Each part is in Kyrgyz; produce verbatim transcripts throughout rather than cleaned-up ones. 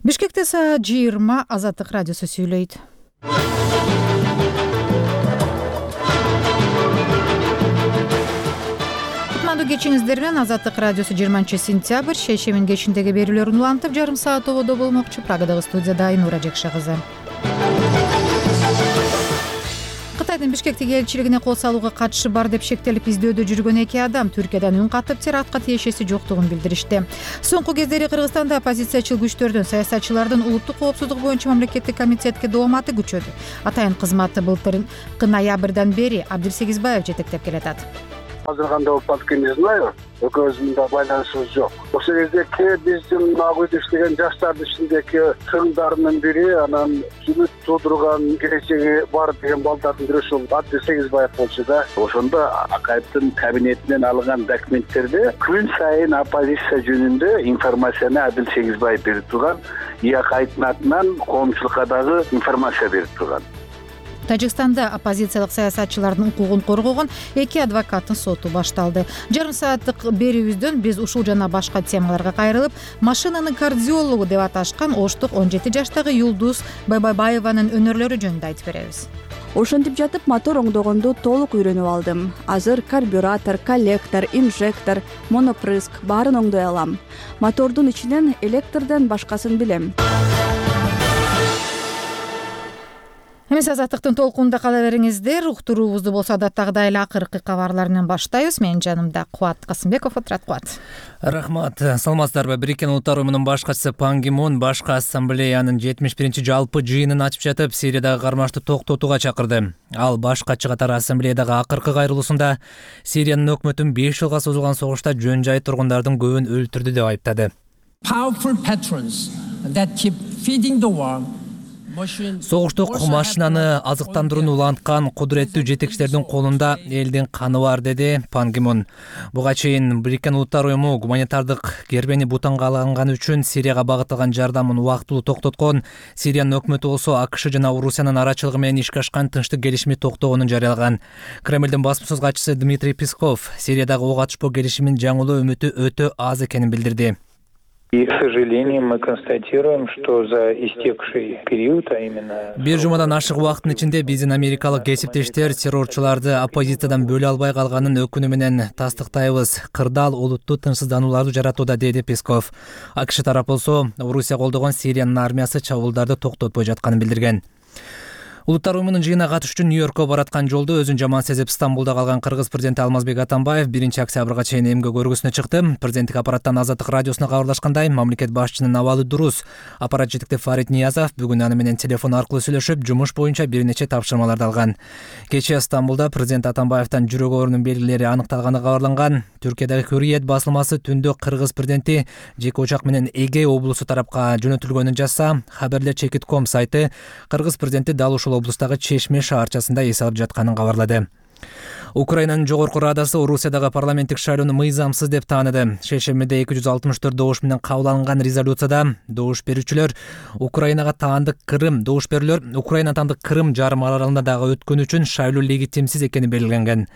Бишкекте саат жыйырма Азаттык радиосу сүйлөйт. Кутмандуу кечиңиздер менен Азаттык радиосу жыйырманчы сентябрь шейшембинин кечиндеги берүүлөрүн улантып жарым саат ободо болмокчу. Прагадагы студияда Айнура Жекше кызы. Кытайдын Бишкектеги элчилигине кол салууга катышы бар деп шектелип издөөдө жүргөн эки адам Түркиядан үн катып терактка тиешеси жоктугун билдиришти. Соңку кездери Кыргызстанда оппозициячыл күчтөрдүн, саясатчылардын улуттук коопсуздук боюнча мамлекеттик комитетке дооматы күчөдү. Атайын кызматты былтыркы ноябрдан бери Абдилсегизбаев жетектеп келатат. Азыр кандай болуп калды не знаю. Экөөбүздүн да байланышыбыз жок. Ошол кездеки биздин ак үйдө иштеген жаштардын ичиндеги тыңдарынын бири, анан үмүт туудурган келечеги бар деген балдардын бири ушул Абдилсегизбаев болчу да. Ошондо Акаевдин кабинетинен алынган документтерде күн сайын оппозиция жөнүндө информацияны Абдилсегизбаев берип турган, Акаевдин атынан коомчулукка дагы информация берип турган. Тажикстанда оппозициялык саясатчылардын укугун коргогон эки адвокаттын соту башталды. Жарым сааттык берүүбүздөн биз ушул жана башка темаларга кайрылып, машинанын кардиологу деп аташкан Оштук он жети жаштагы Юлдуз Байбайбаеванын өнөрлөрү жөнүндө айтып беребиз. Ошентип жатып мотор оңдогонду толук үйрөнүп алдым. Азыр карбюратор, коллектор, инжектор, монопрыск баарын оңдой алам. Мотордун ичинен электрден башкасын билем. Эмес Азаттыктын толкунунда кала бериңиздер. Уктуруубузду болсо адаттагыдай эле акыркы кабарлар менен баштайбыз. Менин жанымда Кубат Касымбеков отурат. Кубат. Рахмат. Саламатсыздарбы? Бириккен Улуттар уюмунун баш катчысы Пан Ги Мун башкы ассамблеянын жетимиш биринчи жалпы жыйынын ачып жатып, Сириядагы кармашты токтотууга чакырды. Ал баш катчы катары ассамблеядагы акыркы кайрылуусунда Сириянын өкмөтүн беш жылга созулган согушта жөн жай тургундардын көбүн өлтүрдү деп айыптады. Powerful patrons that keep feeding the war. Согуштук машинаны азыктандырууну уланткан кудуреттүү жетекчилердин колунда элдин каны бар, деди Пан Ги Мун. Буга чейин Бириккен Улуттар уюму гуманитардык гербени бутанга алган үчүн Сирияга багытталган жардамын убактылуу токтоткон. Сириянын өкмөтү болсо АКШ жана Орусиянын арачылыгы менен ишке ашкан тынчтык келишими токтогонун жарыялаган. Кремлдин басма сөз катчысы Дмитрий Песков Сириядагы ок атышпоо келишиминин жаңылуу үмүтү өтө аз экенин билдирди. И, к сожалению, мы констатируем, что за истекший период, а именно... Бир жумадан ашык убакыттын ичинде биздин америкалык кесиптештер террорчуларды оппозициядан бөлө албай калганын өкүнү менен тастыктайбыз. Кырдаал олуттуу тынчсызданууларды жаратууда, деди Песков. АКШ тарап болсо Орусия колдогон Сириянын армиясы чабуулдарды токтотпой жатканын билдирген. Улуттар уюмунун жыйынына катышуу үчүн Нью-Йоркко бараткан жолдо өзүн жаман сезип Стамбулда калган кыргыз президенти Алмазбек Атамбаев биринчи октябрга чейин эмгек көргүсүнө чыкты. Президенттик аппараттан Азаттык радиосуна кабарлашкандай, мамлекет башчынын абалы дурус. Аппарат жетекчиси Фарид Ниязов бүгүн аны менен телефон аркылуу сүйлөшүп, жумуш боюнча бир нече тапшырмаларды алган. Кечээ Стамбулда президент Атамбаевдин жүрөк оорунун белгилери аныкталганы кабарланган. Түркиядагы Hürriyet басылмасы түндө кыргыз президенти жеке учак менен Эге облусу тарапка жөнөтүлгөнүн жазса, хабарлер чекит точка ком сайты кыргыз президенти дал ушул облустагы Чешме шаарчасында эс алып жатканын кабарлады. Украинанын жогорку радасы Орусиядагы парламенттик шайлоону мыйзамсыз деп тааныды. Шейшембиде эки жүз алтымыш төрт добуш менен кабыл алынган резолюцияда добуш берүүчүлөр Украинага таандык Крым, добуш берүүлөр Украина таандык Крым жарым аралында дагы өткөн үчүн шайлоо легитимсиз экени белгиленген.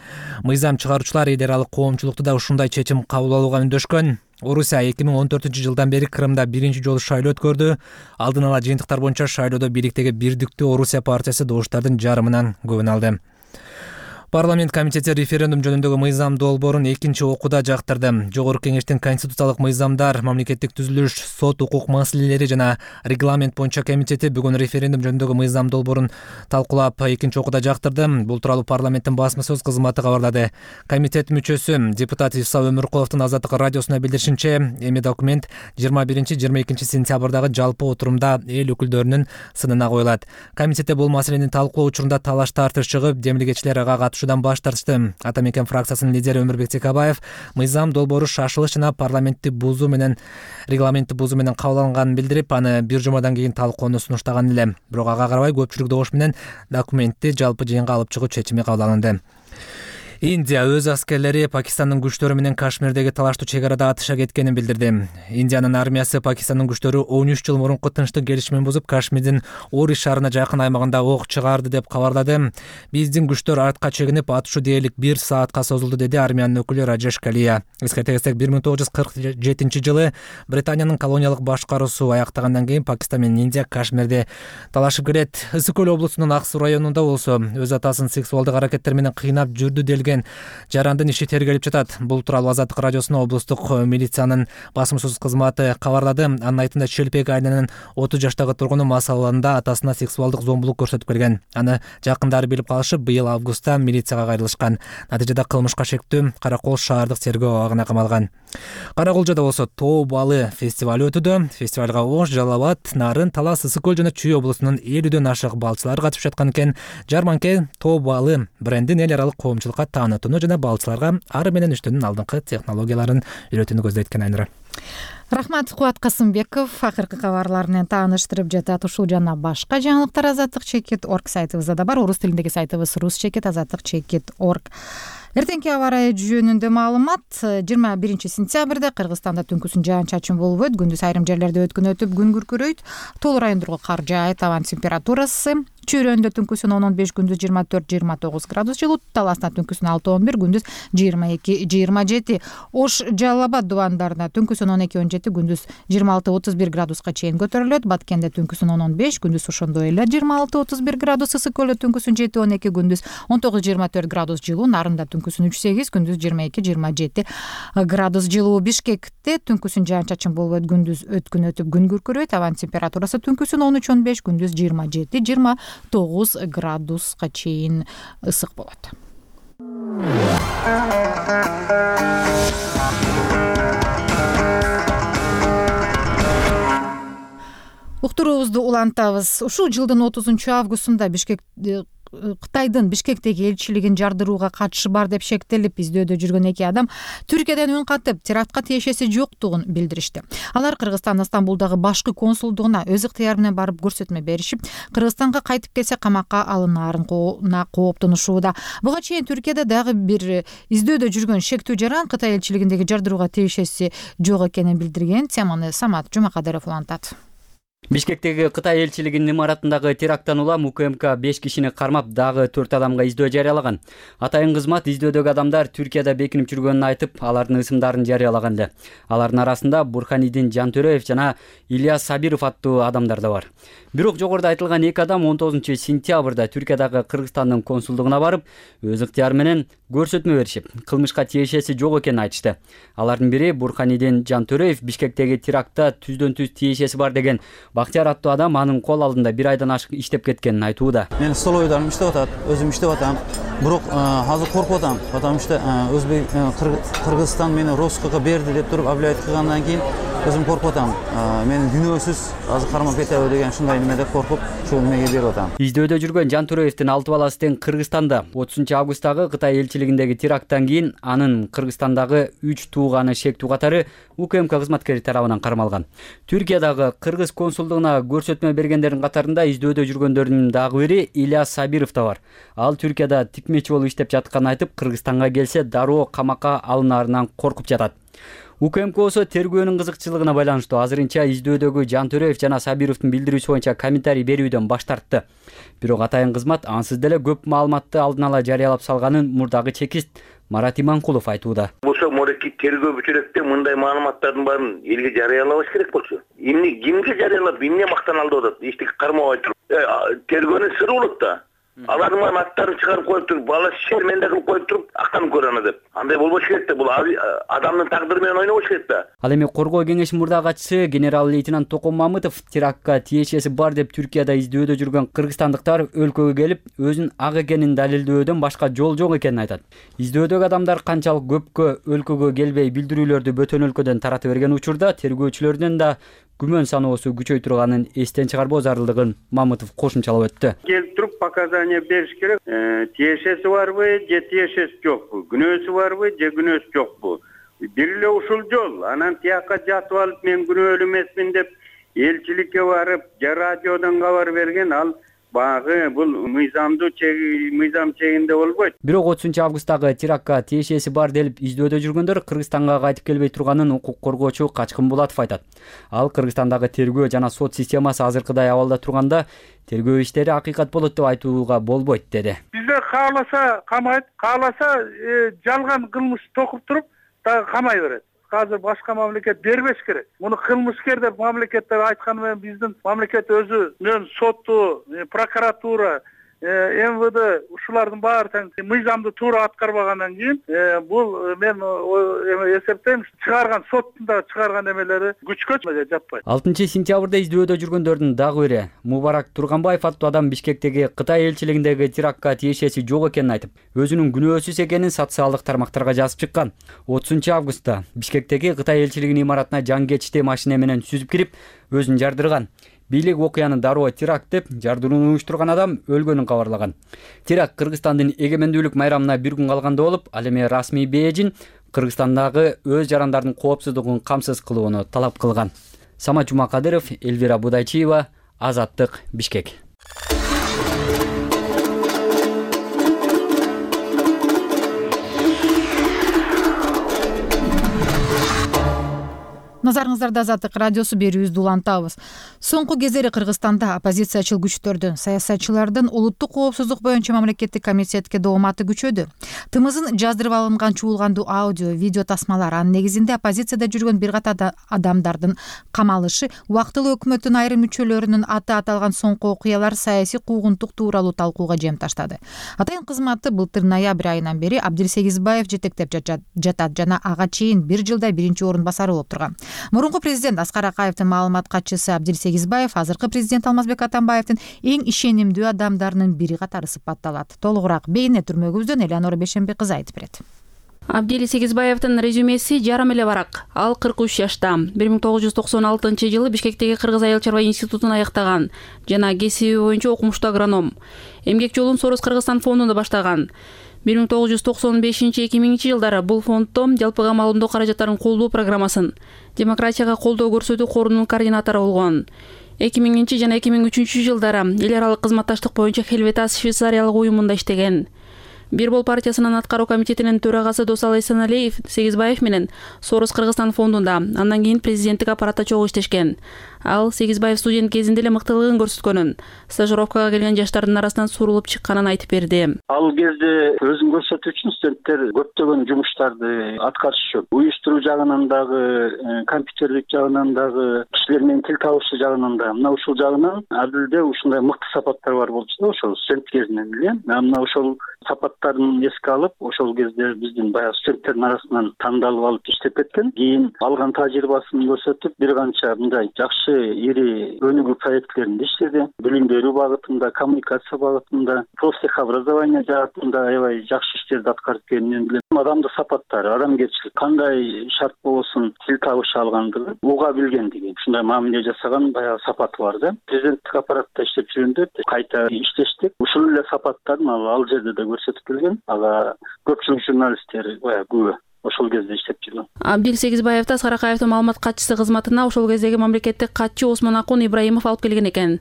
Мыйзам чыгаруучулар эл аралык коомчулукту да ушундай чечим кабыл алууга үндөшкөн. Орусия эки миң он төртүнчү жылдан бери Крымда биринчи жолу шайлоо өткөрдү. Алдын ала жыйынтыктар боюнча шайлоодо бийликтеги Бирдиктүү Орусия партиясы добуштардын жарымынан көбүн алды. Парламент комитети референдум жөнүндөгү мыйзам долбоорун экинчи окууда жактырды. Жогорку кеңештин конституциялык мыйзамдар, мамлекеттик түзүлүш, сот укук маселелери жана регламент боюнча комитети бүгүн референдум жөнүндөгү мыйзам долбоорун талкуулап экинчи окууда жактырды. Бул тууралуу парламенттин басма сөз кызматы кабарлады. Комитет мүчөсү депутат Исса Өмүркуловдун Азаттык радиосуна билдиришинче, эми документ жыйырма биринчи жыйырма экинчи сентябрдагы жалпы отурумда эл өкүлдөрүнүн сынына коюлат. Комитетте бул маселени талкуулоо учурунда талаш тартыш чыгып, демилгечилер ага катышуудан баш тартышты. Атамекен фракциясынын лидери Өмүрбек Текебаев мыйзам долбоору шашылыш жана парламентти бузуу менен регламентти бузуу менен кабыл алынганын билдирип, аны бир жумадан кийин талкууну сунуштаган эле. Бирок ага карабай көпчүлүк добуш менен документти жалпы жыйынга алып чыгуу чечими кабыл алынды. Индия өз аскерлери Пакистандын күчтөрү менен Кашмирдеги талаштуу чек арада атыша кеткенин билдирди. Индиянын армиясы Пакистандын күчтөрү он үч жыл мурунку тынчтык келишимин бузуп, Кашмирдин Ури шаарына жакын аймагында ок чыгарды деп кабарлады. Биздин күчтөр артка чегинип, атышуу дээрлик бир саатка созулду, деди армиянын өкүлү Раджеш Калия. Эскерте кетсек, бир миң тогуз жүз кырк жетинчи жылы Британиянын колониялык башкаруусу аяктагандан кийин Пакистан менен Индия Кашмирде талашып келет. Ысык көл облусунун Аксу районунда болсо өз атасын сексуалдык аракеттер менен кыйнап жүрдү делген жарандын иши тергелип жатат. Бул тууралуу Азаттык радиосуна облустук милициянын басымсыз кызматы кабарлады. Анын айтымында Челпек айылынын отуз жаштагы тургуну мас абалында атасына сексуалдык зомбулук көрсөтүп келген. Аны жакындары билип калышып, быйыл августта милицияга кайрылышкан. Натыйжада кылмышка шектүү Каракол шаардык тергөө абагына камалган. Караколжодо болсо тоо балы фестиваль өтүүдө. Фестивалга Ош, Жалал Абад, Нарын, Талас, Ысык көл жана Чүй облусунун элүүдөн ашык балчылар катышып жаткан экен. Жарманке тоо балы брендин эл аралык коомчулукка таанытууну жана балчыларга ары менен иштөөнүн алдыңкы технологияларын үйрөтүүнү көздөйт экен. Айнура. Рахмат, Кубат Касымбеков акыркы кабарлар менен тааныштырып жатат. Ушул жана башка жаңылыктар азаттык чекит точка орг сайтыбызда да бар. Орус тилиндеги сайтыбыз рус чекит азаттык чекит точка орг. Эртеңки аба ырайы жөнүндө маалымат. жыйырма биринчи сентябрда Кыргызстанда түнкүсүн жаан-чачын болуп, күндүз айрым жерлерде өткөн өтүп күн күркүрөйт. Тоол райондорго кар жаайт. Абанын температурасы Чүйрөндө түнкүсүн он он беш, күндүз жыйырма төрт жыйырма тогуз градус жылуу, Таласта түнкүсүн алты он бир, күндүз жыйырма эки жыйырма жети. Ош, Жалал Абад дубандарында түнкүсүн он эки он жети, күндүз жыйырма алты отуз бир градуска чейин көтөрүлөт. Баткенде түнкүсүн он он беш, күндүз ошондой эле жыйырма алты отуз бир градус. Ысык көлдө түнкүсүн жети он эки, күндүз он тогуз жыйырма төрт градус жылуу. Нарында түнкүсүн үч сегиз, күндүз жыйырма эки жыйырма жети градус жылуу. Бишкекте түнкүсүн жаан-чачын болуп, күндүз өткөн өтүп күн күркүрөйт. Абанын температурасы түнкүсүн он үч он беш, күндүз жыйырма жети жыйырма тогуз градуска чейин ысык болот. Уктуруубузду улантабыз. Ушул жылдын отузунчу августунда Бишкек Кытайдын Бишкектеги элчилигин жардырууга катышы бар деп шектелип издөөдө жүргөн эки адам Түркиядан үн катып, терактка тиешеси жоктугун билдиришти. Алар Кыргызстандын Стамбулдагы башкы консулдугуна өз ыктыяры менен барып көрсөтмө беришип, Кыргызстанга кайтып келсе камакка алынаарын кооптонушууда. Буга чейин Түркияда дагы бир издөөдө жүргөн шектүү жаран Кытай элчилигиндеги жардырууга тиешеси жок экенин билдирген. Теманы Самат Жумакадыров улантат. Бишкектеги Кытай элчилигинин имаратындагы теракттан улам УКМК беш кишини кармап, дагы төрт адамга издөө жарыялаган. Атайын кызмат издөөдөгү адамдар Түркияда бекинип жүргөнүн айтып, алардын ысымдарын жарыялаган эле. Алардын арасында Бурханидин Жантөреев жана Ильяс Сабиров аттуу адамдар да бар. Бирок жогоруда айтылган эки адам он тогузунчу сентябрда Түркиядагы Кыргызстандын консулдугуна барып, өз ыктыяры менен көрсөтмө беришип, кылмышка тиешеси жок экенин айтышты. Алардын бири Бурханидин Жантөреев Бишкектеги терактта түздөн түз тиешеси бар деген Бактияр аттуу адам анын кол алдында бир айдан ашык иштеп кеткенин айтууда. Мен столовойдарым иштеп атат, өзүм иштеп атам. Бирок азыр коркуп атам, потому что Өзбек Кыргызстан мени Роскага берди деп туруп объявить кылгандан кийин өзүм коркуп атам. Мен күнөөсүз азыр кармап кетеби деген ушундай немеде коркуп, ушул немеге берип атам. Издөөдө жүргөн Жантөреевдин алты баласы тең Кыргызстанда. отузунчу августагы Кытай элчилигиндеги теракттан кийин анын Кыргызстандагы үч тууганы шектүү катары УКМК кызматкери тарабынан кармалган. Түркиядагы Кыргыз консулдугуна көрсөтмө бергендердин катарында издөөдө жүргөндөрдүн дагы бири Ильяс Сабиров да бар. Ал Түркияда тикмечи болуп иштеп жатканын айтып, Кыргызстанга келсе дароо камакка алынаарынан коркуп жатат. УКМК болсо тергөөнүн кызыкчылыгына байланыштуу азырынча издөөдөгү Жантөреев жана Сабировдун билдирүүсү боюнча комментарий берүүдөн баш тартты. Бирок атайын кызмат ансыз деле көп маалыматты алдын ала жарыялап салганын мурдагы чекист Марат Иманкулов айтууда. Болсо морекки тергөө бүтүрөктө мындай маалыматтардын баарын элге жарыялабаш керек болчу. Эмне кимге жарыялап, эмне мактаналды болот? Эчтеке кармабай туруп. Тергөөнүн сыры болот да. Алардын баарын аттарын чыгарып коюп туруп, бала шерменде кылып коюп туруп, актанып көрөм деп. Андай болбош керек да, бул адамдын тагдыры менен ойнобош керек да. Ал эми коргоо кеңешинин мурдагы катчысы генерал-лейтенант Токон Мамытов терактка тиешеси бар деп Түркияда издөөдө жүргөн кыргызстандыктар өлкөгө келип, өзүнүн ак экенин далилдөөдөн башка жол жок экенин айтат. Издөөдөгү адамдар канчалык көпкө өлкөгө келбей билдирүүлөрдү бөтөн өлкөдөн таратып берген учурда тергөөчүлөрдүн да күмөн саноосу күчөй турганын эстен чыгарбоо зарылдыгын Мамытов кошумчалап өттү. Келип туруп показания бериш керек. Тиешеси барбы, же тиешеси жокпу? Күнөөсү барбы, же күнөөсү жокпу? Бир эле ушул жол. Анан тияка жатып алып мен күнөөлүү эмесмин деп элчиликке барып, же радиодон кабар берген, ал Багы бул мыйзамдуу мыйзам чегинде болбойт. Бирок отузунчу августтагы терактка тиешеси бар делип издөөдө жүргөндөр Кыргызстанга кайтып келбей турганын укук коргоочу Качкын Булатов айтат. Ал Кыргызстандагы тергөө жана сот системасы азыркыдай абалда турганда тергөө иштери акыйкат болот деп айтууга болбойт деди. Бизде кааласа камайт, кааласа жалган кылмыш токуп туруп дагы камай берет. Азыр башка мамлекет бербеш керек. Муну кылмышкер деп мамлекет деп айтканы менен биздин мамлекет өзү менен сотту, прокуратура, эм вэ дэ ушулардын баары тең мыйзамды туура аткарбагандан кийин бул мен эсептейм чыгарган соттун да чыгарган эмелери күчкө жатпайт. алтынчы сентябрда издөөдө жүргөндөрдүн дагы бири Мубарак Турганбаев аттуу адам Бишкектеги Кытай элчилигиндеги терактка тиешеси жок экенин айтып, өзүнүн күнөөсүз экенин социалдык тармактарга жазып чыккан. отузунчу августта Бишкектеги Кытай элчилигинин имаратына жангечти машина менен сүзүп кирип, өзүн жардырган. Бийлик окуяны дароо теракт деп, жардырууну уюштурган адам өлгөнүн кабарлаган. Теракт Кыргызстандын эгемендүүлүк майрамына бир күн калганда болуп, ал эми расмий Бээжин Кыргызстандагы өз жарандардын коопсуздугун камсыз кылууну талап кылган. Самат Жумакадыров, Элвира Будайчиева, Азаттык, Бишкек. Назарыңыздарда Азаттык радиосу берүүбүздү улантабыз. Соңку кездери Кыргызстанда оппозициячыл күчтөрдүн, саясатчылардын улуттук коопсуздук боюнча мамлекеттик комитетке дооматы күчөдү. Тымызын жаздырып алынган чуулгандуу аудио, видео тасмалар, анын негизинде оппозицияда жүргөн бир катар адамдардын камалышы, убактылуу өкмөттүн айрым мүчөлөрүнүн аты аталган соңку окуялар саясий куугунтук тууралуу талкууга жем таштады. Атайын кызматты былтыр ноябрь айынан бери Абдилсегизбаев жетектеп жатат жана ага чейин бир жылда биринчи орун басары болуп турган. Мурунку президент Аскар Акаевдин маалымат катчысы Абдилсегизбаев азыркы президент Алмазбек Атамбаевдин эң ишенимдүү адамдарынын бири катары сыпатталат. Толугураак бейне түрмөгүбүздөн Элеонора Бешенбек кызы айтып берет. Абдилсегизбаевдин резюмеси жарым эле барак. Ал кырк үч жашта. бир миң тогуз жүз токсон алтынчы жылы Бишкектеги Кыргыз айыл чарба институтун аяктаган жана кесиби боюнча окумуштуу агроном. Эмгек жолун Сорос Кыргызстан фондунда баштаган. бир миң тогуз жүз токсон бешинчи эки миңинчи жылдары бул фонддо жалпыга маалымдоо каражаттарын колдоо программасын, демократияга колдоо көрсөтүү корунун координатору болгон. эки миңинчи жана эки миң үчүнчү жылдары эл аралык кызматташтык боюнча Хелветас Швейцариялык уюмунда иштеген. Бирбол партиясынын аткаруу комитетинин төрагасы Досал Эсеналиев Сегизбаев менен Сорос Кыргызстан фондунда, андан кийин президенттик аппаратта чогуу иштешкен. Ал Сегизбаев студент кезинде эле мыктылыгын көрсөткөнүн, стажировкага келген жаштардын арасынан сурулуп чыкканын айтып берди. Ал кезде өзүн көрсөтүү үчүн студенттер көптөгөн жумуштарды аткарышчу. Уюштуруу жагынан дагы, компьютерлик жагынан дагы, кишилер менен тил табышы жагынан да. Мына ушул жагынан Адилде ушундай мыкты сапаттар бар болчу да, ошол студент кезинен эле. Мына ошол сапаттарын эске алып, ошол кезде биздин баягы студенттердин арасынан тандалып алып иштеп кеткен. Кийин алган тажрыйбасын көрсөтүп, бир канча мындай жакшы ири өнүгүү проектлеринде иштеди. Билим берүү багытында, коммуникация багытында, профтехобразование жаатында аябай жакшы иштерди аткарып келгенин билем. Адамдын сапаттары, адамгерчилик, кандай шарт болсун тил табыша алгандыгы, уга билгендиги, ушундай мамиле жасаган баягы сапаты бар да. Президенттик аппаратта иштеп жүргөндө кайта иштештик. Ушул эле сапаттарын ал жерде да көрсөтүп келген. Ага көпчүлүк журналисттер баягы күбө ошол кезде иштеп жүргөн. Абдилсегизбаевди Аскар Акаевдин маалымат катчысы кызматына ошол кездеги мамлекеттик катчы Осмон Акун Ибраимов алып келген экен.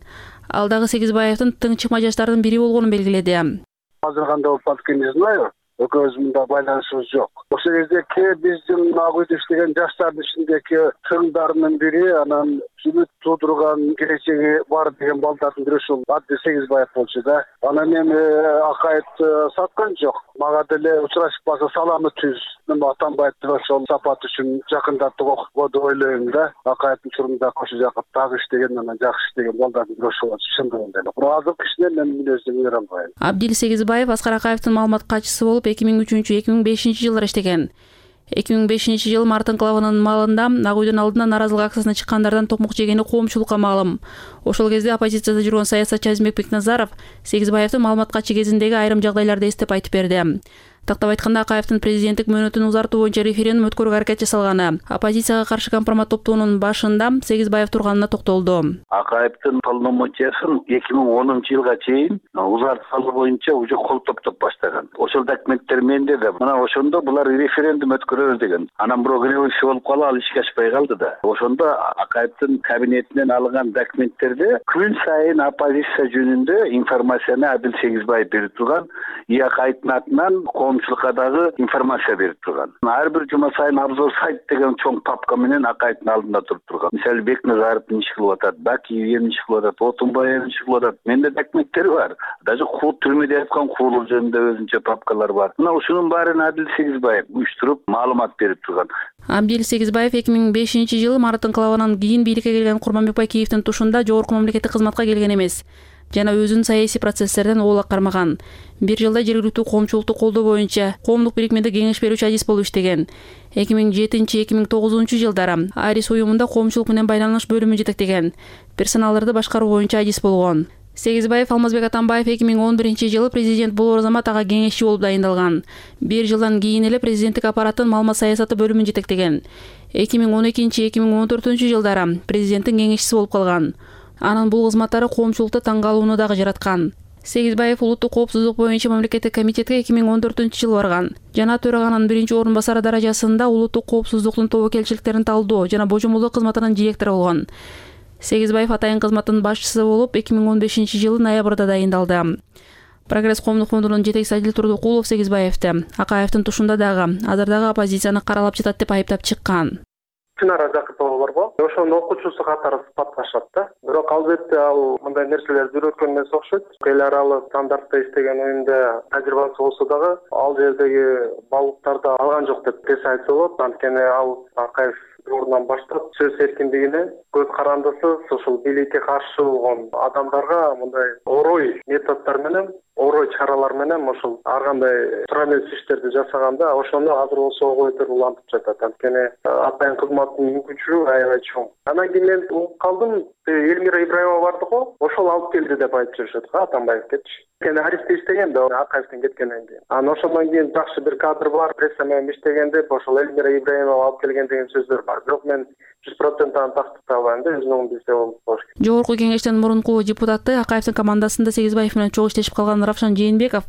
Ал дагы Сегизбаевдин тың чыкма жаштардын бири болгонун белгиледи. Азыр кандай болуп калды не знаю. Экөөбүз мында байланышыбыз жок. Ошол кездеки биздин ак үйдө иштеген жаштардын ичиндеги чыңдарынын бири, анан үмүт туудурган келечеги бар деген балдардын бири ушул Абдилсегизбаев болчу да. Анан эми Акаевди саткан жок. Мага деле учурашып калса саламы түз. Мен Атамбаевди ошол сапат үчүн жакындатып окугу деп ойлойм да. Акаевдин учурунда кошу жакып дагы иштеген, анан жакшы иштеген балдардын бири ошол болчу. Чындыгында эле. Бирок азыркы кишинен мен мүнөздөн бере албайм. Абдилсегизбаев Аскар Акаевдин маалымат катчысы болуп эки миң үчүнчү эки миң бешинчи жылдары иштеген. эки миң бешинчи жылы март инкылабынын маалында ак үйдүн алдына нааразылык акциясына чыккандардан токмок жегени коомчулукка маалым. Ошол кезде оппозицияда жүргөн саясатчы Азимбек Бекназаров Сегизбаевдин маалымат катчы кезиндеги айрым жагдайларды эстеп айтып берди. Тактап айтканда Акаевдин президенттик мөөнөтүн узартуу боюнча референдум өткөрүүгө аракет жасалганы, оппозицияга каршы компромат топтоонун башында Сегизбаев турганына токтолду. Акаевдин полномочиясын эки миң онунчу жылга чейин узартып алуу боюнча уже кол топтоп баштаган. Ошол документтер менде да. Мына ошондо булар референдум өткөрөбүз деген. Анан бирок революция болуп калып, ал ишке ашпай калды да. Ошондо Акаевдин кабинетинен алынган документтерде күн сайын оппозиция жөнүндө информацияны Адил Сегизбаев берип турган, и Акаевдин атынан коомчулукка дагы информация берип турган. Ар бир жума сайын обзор сайт деген чоң папка менен Акаевдин алдында туруп турган. Мисалы Бекназаров эмне иш кылып атат, Бакиев эмне иш кылып атат, Отунбаев эмне иш кылып атат. Менде документтер бар. Даже кул түрмөдө яткан куулуу жөнүндө өзүнчө папкалар бар. Мына ушунун баарын Адил Сегизбаев уюштуруп маалымат берип турган. Абдил Сегизбаев эки миң бешинчи жылы марттын кылабынан кийин бийликке келген Курманбек Бакиевдин тушунда жогорку мамлекеттик кызматка келген эмес жана өзүн саясий процесстерден оолак кармаган. Бир жылда жергиликтүү коомчулукту колдоо боюнча коомдук бирикмеде кеңеш берүүчү адис болуп иштеген. эки миң жетинчи эки миң тогузунчу жылдары Арис уюмунда коомчулук менен байланыш бөлүмүн жетектеген, персоналдарды башкаруу боюнча адис болгон. Сегизбаев Алмазбек Атамбаев эки миң он биринчи жылы президент болор замат ага кеңешчи болуп дайындалган. Бир жылдан кийин эле президенттик аппараттын маалымат саясаты бөлүмүн жетектеген. эки миң он экинчи эки миң он төртүнчү жылдары президенттин кеңешчиси болуп калган. Анын бул кызматтары коомчулукта таң калууну дагы жараткан. Сегизбаев улуттук коопсуздук боюнча мамлекеттик комитетке эки миң он төртүнчү жылы барган. Жана төраганын биринчи орун басары даражасында улуттук коопсуздуктун тобокелчиликтерин талдоо жана божомолдоо кызматынын директору болгон. Сегизбаев атайын кызматтын башчысы болуп эки миң он бешинчи жылы ноябрда дайындалды. Прогресс коомдук фондунун жетекчиси Адил Турдукулов Сегизбаевди Акаевдин тушунда дагы азыр дагы оппозицияны каралап жатат деп айыптап чыккан. Чынара Жакыпова барбы? Ошонун окуучусу катары сыпатташат да. Бирок албетте ал мындай нерселерди үйрөткөн эмес окшойт. Эл аралык стандартта иштеген уюмда тажрыйбасы болсо дагы ал жердеги баалуулуктарды алган жок деп тез айтса болот. Анткени ал Акаев орундан баштап сөз эркиндигине, көз карандысыз ушул бийликке каршы болгон адамдарга мындай орой методдор менен, орой чаралар менен ушул ар кандай туура эмес иштерди жасаганда ошону азыр болсо ойдор улантып жатат. Анткени атайын кызматтын мүмкүнчүлүгү аябай чоң. Анан кийин мен угуп калдым, Элмира Ибраимова барды го, ошол алып келди деп айтып жүрүшөт го Атамбаевкечи. Кene Арифте иштеген да Акаевдин кеткенден кийин. Анан ошондон кийин жакшы бир кадр бар, пресса менен иштеген деп ошол Элмира Ибраимова алып келген деген сөздөр бар. Бирок мен жүз процент аны тастыктай албайм да, өзүнүн билсе болуш керек. Жогорку кеңештин мурунку депутаты Акаевдин командасында Сегизбаев менен чогуу иштешип калган Равшан Жээнбеков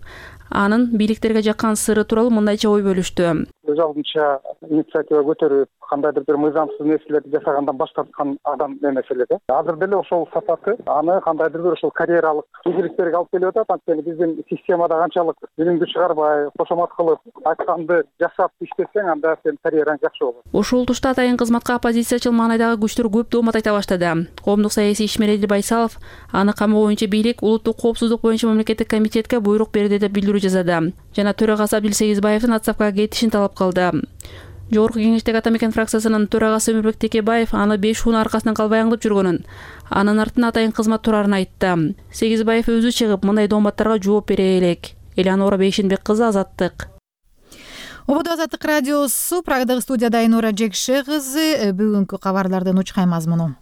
анын бийликтерге жаккан сыры тууралуу мындайча ой бөлүштү. Өз алдынча инициатива көтөрүп, кандайдыр бир мыйзамсыз нерселерди жасагандан баш тарткан адам эмес эле да. Азыр деле ошол сапаты аны кандайдыр бир ошол карьералык ийгиликтерге алып келип атат. Анткени биздин системада канчалык билимди чыгарбай, кошомат кылып, айтканды жасап иштесең, анда сен карьераң жакшы болот. Ушул тушта атайын кызматка оппозициячыл маанайдагы күчтөр көп доомат айта баштады. Коомдук саясий ишмер Эдил Байсалов аны камоо боюнча бийлик улуттук коопсуздук боюнча мамлекеттик комитетке буйрук берди деп билдирүү жасады. Жана төрагасы Абдил Сегизбаевдин отставкага кетишин талап кылды. Жогорку кеңештеги Ата Мекен фракциясынын төрагасы Өмүрбек Текебаев аны беш ууну аркасынан калбай аңдып жүргөнүн, анын артынан атайын кызмат турарын айтты. Сегизбаев өзү чыгып мындай дооматтарга жооп бере элек. Эланора Бейшенбек кызы, Азаттык. Ободо Азаттык радиосу, Прагадагы студияда Айнура Жекше кызы. Бүгүнкү кабарлардын учкай мазмуну.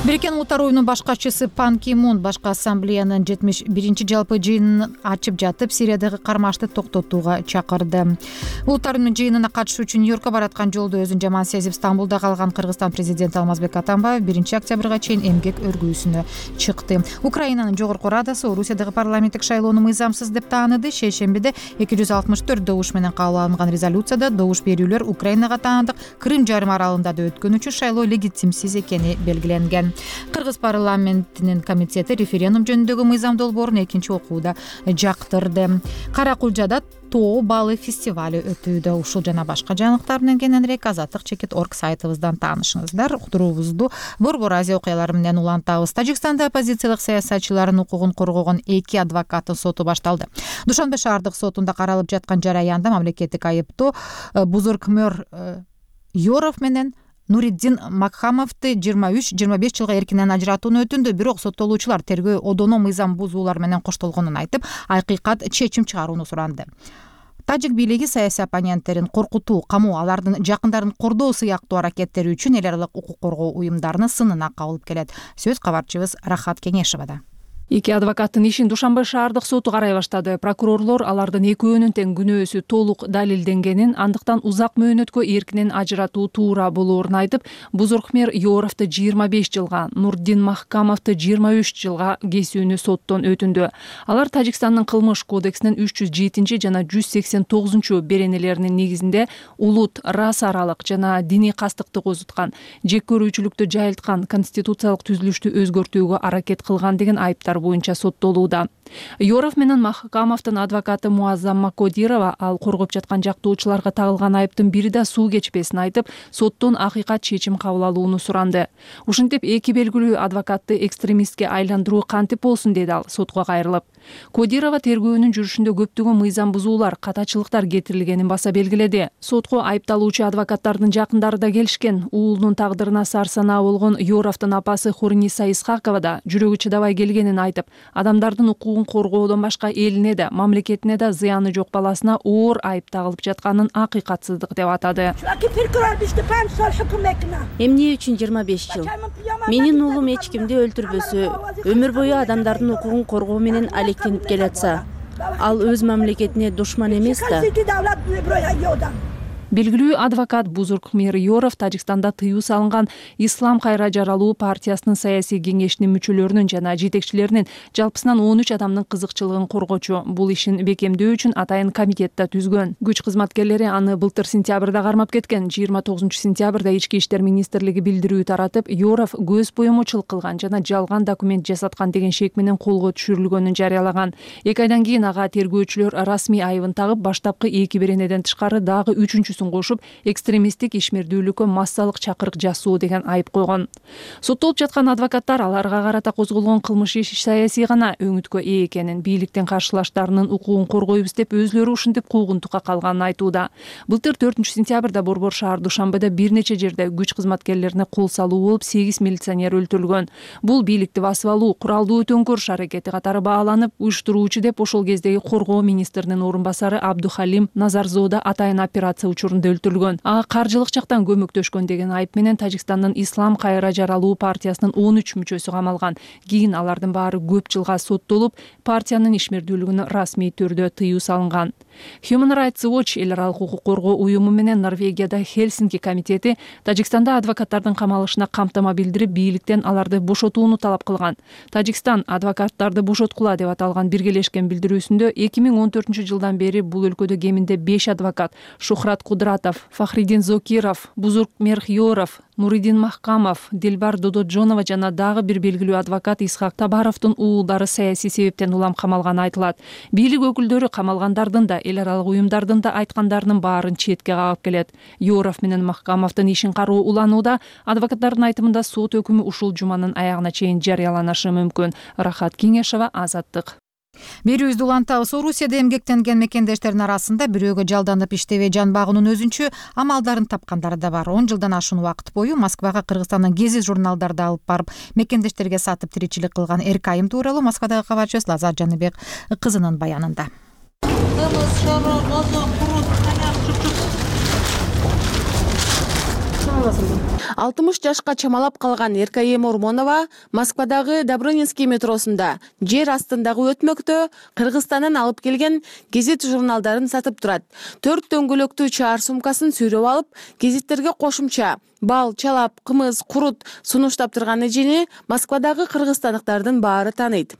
Бириккен Улуттар уюмунун баш катчысы Пан Ки Мун башкы ассамблеянын жетимиш биринчи жалпы жыйынын ачып жатып, Сириядагы кармашты токтотууга чакырды. Улуттар уюмунун жыйынына катышуу үчүн Нью-Йоркко бараткан жолдо өзүн жаман сезип Стамбулда калган Кыргызстан президенти Алмазбек Атамбаев биринчи октябрга чейин эмгек өргүүсүнө чыкты. Украинанын жогорку радасы Орусиядагы парламенттик шайлоону мыйзамсыз деп тааныды. Шейшембиде эки жүз алтымыш төрт добуш менен кабыл алынган резолюцияда добуш берүүлөр Украинага таандык Крым жарым аралында да өткөн үчүн шайлоо легитимсиз экени белгиленген. Кыргыз парламентинин комитети референдум жөнүндөгү мыйзам долбоорун экинчи окууда жактырды. Каракулжада тоо балы фестивали өтүүдө. Ушул жана башка жаңылыктар менен кененирээк азаттык чекит точка орг сайтыбыздан таанышыңыздар. Уктуруубузду Борбор Азия окуялары менен улантабыз. Тажикстанда оппозициялык саясатчылардын укугун коргогон эки адвокаттын соту башталды. Душанбе шаардык сотунда каралып жаткан жараянда мамлекеттик айыптоо Бузуркмөр Йоров менен Нуриддин Макхамовду жыйырма үч жыйырма беш жылга эркинен ажыратууну өтүндү. Бирок соттолуучулар тергөө одоно мыйзам бузуулар менен коштолгонун айтып, акыйкат чечим чыгарууну суранды. Тажик бийлиги саясий оппоненттерин коркутуу, камоо, алардын жакындарын кордоо сыяктуу аракеттери үчүн эл аралык укук коргоо уюмдарынын сынына кабылып келет. Сөз кабарчыбыз Рахат Кеңешевада. Эки адвокаттын ишин Душанбе шаардык соту карай баштады. Прокурорлор алардын экөөнүн тең күнөөсү толук далилденгенин, андыктан узак мөөнөткө эркинен ажыратуу туура болоорун айтып, Бузуркмир Йоровду жыйырма беш жылга, Нурдин Махкамовду жыйырма үч жылга кесүүнү соттон өтүндү. Алар Тажикстандын кылмыш кодексинин үч жүз жетинчи жана жүз сексен тогузунчу беренелеринин негизинде улут, рас аралык жана диний кастыкты козуткан, жек көрүүчүлүктү жайылткан, конституциялык түзүлүштү өзгөртүүгө аракет кылган деген айыптар боюнча соттолууда. Йоров менен Махкамовдун адвокаты Муаззам Макодирова ал коргоп жаткан жактоочуларга тагылган айыптын бири да суу кечпесин айтып, соттон акыйкат чечим кабыл алууну суранды. Ушинтип эки белгилүү адвокатты экстремистке айландыруу кантип болсун деди ал сотко кайрылып. Кодирова тергөөнүн жүрүшүндө көптөгөн мыйзам бузуулар, катачылыктар кетирилгенин баса белгиледи. Сотко айыпталуучу адвокаттардын жакындары да келишкен. Уулунун тагдырына сарсанаа болгон Йоровдун апасы Хуриниса Исхакова да жүрөгү чыдабай келгенин айтып, адамдардын укугун коргоодон башка элине да, мамлекетине да зыяны жок баласына оор айып тагылып жатканын акыйкатсыздык деп атады. Эмне үчүн жыйырма беш жыл? Менин уулум эч кимди өлтүрбөсө, өмүр бою адамдардын укугун коргоо менен алектенип келатса, ал өз мамлекетине душман эмес да. Белгилүү адвокат Бузуркмир Йоров Тажикстанда тыюу салынган Ислам кайра жаралуу партиясынын саясий кеңешинин мүчөлөрүнүн жана жетекчилеринин жалпысынан он үч адамдын кызыкчылыгын коргочу. Бул ишин бекемдөө үчүн атайын комитет да түзгөн. Күч кызматкерлери аны былтыр сентябрда кармап кеткен. жыйырма тогузунчу сентябрда Ички иштер министрлиги билдирүү таратып, Йоров көз боемочулук кылган жана жалган документ жасаткан деген шек менен колго түшүрүлгөнүн жарыялаган. Эки айдан кийин ага тергөөчүлөр расмий айыбын тагып, баштапкы эки беренеден тышкары дагы үчүнчүсүн кошуп, экстремисттик ишмердүүлүккө массалык чакырык жасоо деген айып койгон. Соттолуп жаткан адвокаттар аларга карата козголгон кылмыш иш саясий гана өңүткө ээ экенин, бийликтин каршылаштарынын укугун коргойбуз деп өзлөрү ушинтип куугунтукка калганын айтууда. Былтыр төртүнчү сентябрда Борбор шаар Душанбеде бир нече жерде күч кызматкерлерине кол салуу болуп, сегиз милиционер өлтүрүлгөн. Бул бийликти басып алуу, куралдуу төңкөрүш аракети катары бааланып, уюштуруучу деп ошол кездеги коргоо министринин орун басары Абдухалим Назарзода атайын операция учурунда өлтүрүлгөн. Ага каржылык жактан көмөктөшкөн деген айып менен Тажикстандын Ислам кайра жаралуу партиясынын он үч мүчөсү камалган. Кийин алардын баары көп жылга соттолуп, партиянын ишмердүүлүгүнө расмий түрдө тыюу салынган. Human Rights Watch эл аралык укук коргоо уюму менен Норвегияда Хельсинки комитети Тажикстанда адвокаттардын камалышына камтама билдирип, бийликтен аларды бошотууну талап кылган. Тажикстан адвокаттарды бошоткула деп аталган биргелешкен билдирүүсүндө эки миң он төртүнчү жылдан бери бул өлкөдө кеминде беш адвокат Шухрат Кудратов, Фахридин Зокиров, Бузуркмир Йоров, Нуридин Махкамов, Дилбар Дододжонова жана дагы бир белгилүү адвокат Исхак Табаровдун уулдары саясий себептен улам камалганы айтылат. Бийлик өкүлдөрү камалгандардын да, эл аралык уюмдардын да айткандарынын баарын четке кагып келет. Йоров менен Махкамовдун ишин кароо уланууда, адвокаттардын айтымында сот өкүмү ушул жуманын аягына чейин жарыяланышы мүмкүн. Рахат Кеңешова, Азаттык. Берүүбүздү улантабыз. Орусияда эмгектенген мекендештердин арасында бирөөгө жалданып иштебей жан багуунун өзүнчө амалдарын тапкандары да бар. он жылдан ашуун убакыт бою Москвага Кыргызстандын гезит журналдарды алып барып, мекендештерге сатып тиричилик кылган Эркайым тууралуу Москвадагы кабарчыбыз Лазат Жаныбек кызынын баянында. алтымыш жашка чамалап калган Эркайым Ормонова Москвадагы Добрынинский метросунда жер астындагы өтмөктө Кыргызстандан алып келген гезит журналдарын сатып турат. Төрт дөңгөлөктүү чаар сумкасын сүйрөп алып, гезиттерге кошумча бал, чалап, кымыз, курут сунуштап турган эжени Москвадагы кыргызстандыктардын баары тааныйт.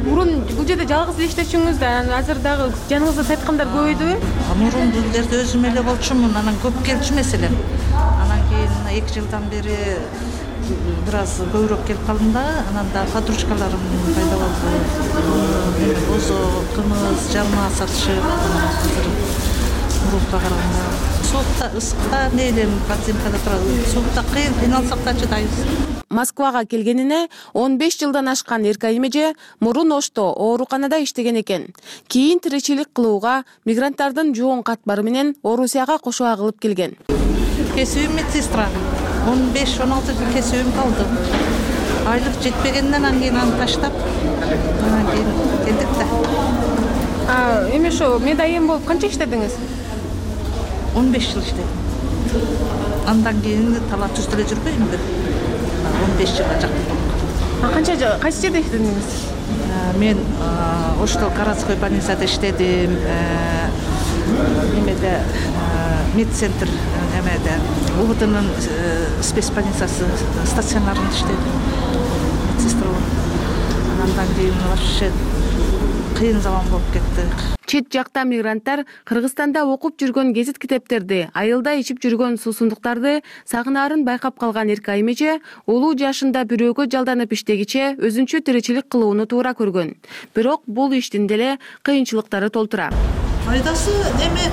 Мурун бул жерде жалгыз иштечүңүз да, азыр дагы жаныңызда сайткандар көбөйдүбү? Мурун бул жерде өзүм эле болчумун, анан көп келчү маселен. Анан кийин эки жылдан бери бир аз көбүрөөк келип калдым да, анан да подружкаларым пайда болду. Бозо, кымыз, жарма сатышып, азыр мурунка караганда соокта, ысыкта мейлен подземкада турат, соокта кыйын, кыйналсак да чыдайбыз. Москвага келгенине он беш жылдан ашкан Эркайым эже мурун Ошто ооруканада иштеген экен. Кийин тиричилик кылууга мигранттардын жоон катмары менен Орусияга кошо агылып келген. Кесүүм медсестра. он беш он алты жыл кесүүм калды. Айлык жетпегенден анан кийин аны таштап, анан кийин келдик да. А эми ошо медайым болуп канча иштедиңиз? он беш жыл иштедим. Андан кийин талап-түз деле жүрбөйм бир. он беш жылга жакын болуп калды. А канча кайсы жерде иштедиңиз? мен Оштол городской больницада иштедим, немеде медцентр немеде УГТнын спецбольницасы стационарында иштедим медсестра болуп. Андан кийин вообще кыйын заман болуп кетти. Чет жакта мигранттар Кыргызстанда окуп жүргөн гезит китептерди, айылда ичип жүргөн суусундуктарды сагынаарын байкап калган Эркай эже улуу жашында бирөөгө жалданып иштегиче өзүнчө тиричилик кылууну туура көргөн. Бирок бул иштин деле кыйынчылыктары толтура. Пайдасы неме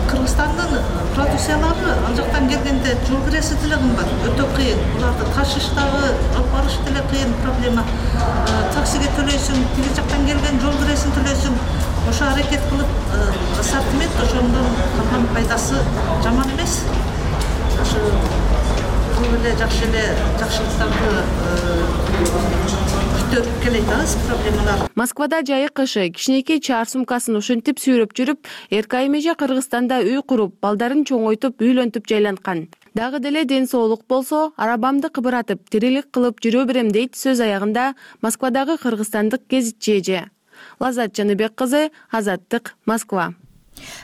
Кыргызстандын продукциялары ал жактан келгенде жол киреси деле кымбат, өтө кыйын. Буларды ташыш дагы, алып барыш деле кыйын проблема. Таксиге төлөйсүң, тиги жактан келген жол киресин төлөйсүң. Ошо аракет кылып ассортимент ошондон калган пайдасы жаман эмес. Ошо бул эле жакшы эле жакшылыктарды көтөрүп келет аз проблемалар. Москвада жайы кышы кичинекей чаар сумкасын ушинтип сүйрөп жүрүп, Эркай эже Кыргызстанда үй куруп, балдарын чоңойтуп, үйлөнтүп жайланткан. Дагы деле ден соолук болсо, арабамды кыбыратып, тирилик кылып жүрө берем дейт сөз аягында Москвадагы кыргызстандык гезитчи эже. Лазат Жаныбек кызы, Азаттык, Москва.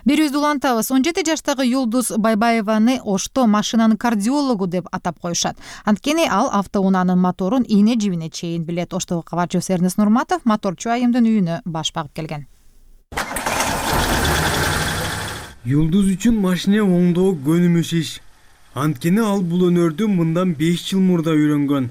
Берүүбүздү улантабыз. он жети жаштагы Юлдуз Байбаеваны Ошто машинанын кардиологу деп атап коюшат. Анткени ал автоунаанын моторун ийне жибине чейин билет. Оштогу кабарчыбыз Эрнест Нурматов моторчу айымдын үйүнө баш багып келген. Юлдуз үчүн машина оңдоо көнүмүш иш. Анткени ал бул өнөрдү мындан беш жыл мурда үйрөнгөн.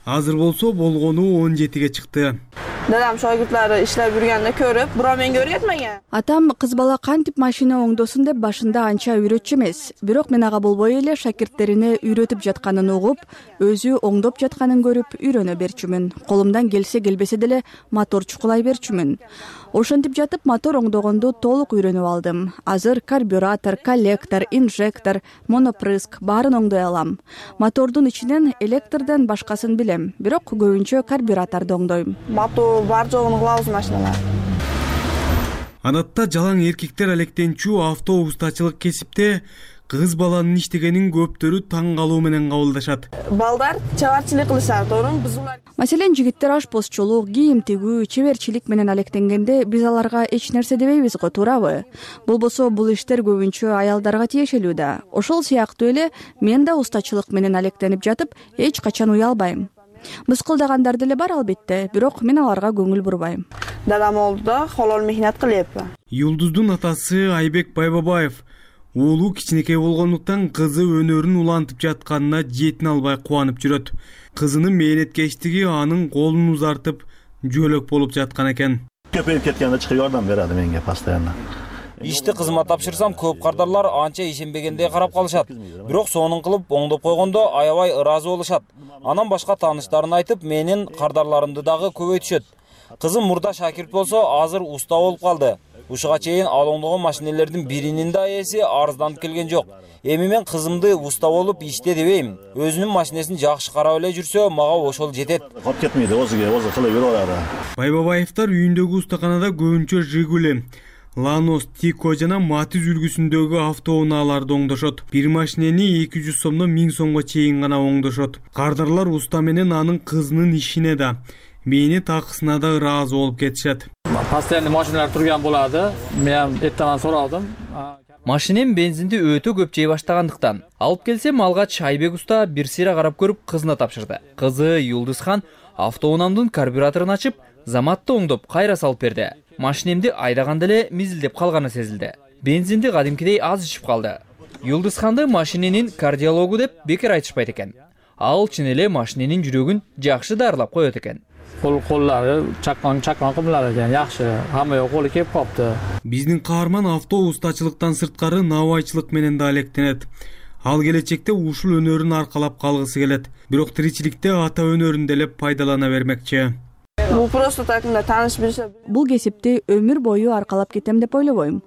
Азыр болсо болгону он жетиге чыкты. Dadam shogirdlari ishlab yurganini ko'rib, biroq menga o'rgatmagan. Атам кыз бала кантип машина оңдосун деп башында анча үйрөтчү эмес. Бирок мен ага болбой эле шакирттерине үйрөтүп жатканын угуп, өзү оңдоп жатканын көрүп үйрөнө берчүмүн. Колумдан келсе келбесе деле мотор чукулай берчүмүн. Ошентип жатып мотор оңдогонду толук үйрөнүп алдым. Азыр карбюратор, коллектор, инжектор, монопрыск баарын оңдой алам. Мотордун ичинен электрден башкасын билем, бирок көбүнчө карбюраторду оңдойм. Мотор бар жогун кылабыз машиналар. Адатта жалаң эркектер алектенчүү автоустачылык кесипте кыз баланын иштегенин көптөрү таң калуу менен кабылдашат. Балдар чабарчылык кылышат, орун бузулар. Маселен, жигиттер ашпозчулук, кийим тигүү, чеберчилик менен алектенгенде биз аларга эч нерсе дебейбиз го, туурабы? Болбосо бул иштер көбүнчө аялдарга тиешелүү да. Ошол сыяктуу эле мен да устачылык менен алектенип жатып, эч качан уялбайм. Мыскылдагандар деле бар албетте, бирок мен аларга көңүл бурбайм. Дадам олдуда холол мехнат кылып. Юлдуздун атасы Айбек Байбабаев уулу кичинекей болгондуктан кызы өнөрүн улантып жатканына жетин албай кубанып жүрөт. Кызынын мээнеткечтиги анын колун узартып жөлөк болуп жаткан экен. Көпөйүп кеткенде чыгып жардам берди менге постоянно. Ишти кызыма тапшырсам, көп кардарлар анча ишенбегендей карап калышат. Бирок сонун кылып оңдоп койгондо аябай ыраазы болушат. Анан башка тааныштарын айтып, менин кардарларымды дагы көбөйтүшөт. Кызым мурда шакирт болсо, азыр уста болуп калды. Ушуга чейин ал оңдогон машинелердин биринин да ээси арызданып келген жок. Эми мен кызымды уста болуп иште дебейм. Өзүнүн машинесин жакшы карап эле жүрсө, мага ошол жетет. Кап кетмейди, өзүгө өзү кылып жүрөт. Байбабаевдар үйүндөгү устаканада көбүнчө Жигули, Ланос, Тико жана Матиз үлгүсүндөгү автоунааларды оңдошот. Бир машинени эки жүз сомдон миң сомго чейин гана оңдошот. Кардарлар уста менен анын кызынын ишине да, мээнет акысына да ыраазы болуп кетишет. Постоянно машиналар турган болду. Мен эттен суралдым. Машинем бензинди өтө көп жей баштагандыктан алып келсем, алгач Айбек уста бир сыйра карап көрүп кызына тапшырды. Кызы Юлдузхан автоунаамдын карбюраторун ачып, заматты оңдоп кайра салып берди. Машинемди айдаганда эле мизилдеп калганы сезилди. Бензинди кадимкидей аз ичип калды. Юлдузханды машиненин кардиологу деп бекер айтышпайт экен. Ал чын эле машиненин жүрөгүн жакшы дарылап коет экен. Кол коллары чаккан чаккан кымлар экен, жакшы. Хамма колу кеп калыпты. Биздин каарман авто устачылыктан сырткары навайчылык менен да алектенет. Ал келечекте ушул өнөрүн аркалап калгысы келет. Бирок тиричиликте ата өнөрүн деле пайдалана бермекчи. Бул просто так мында тааныш билсе. Бул кесипти өмүр бою аркалап кетем деп ойлобойм.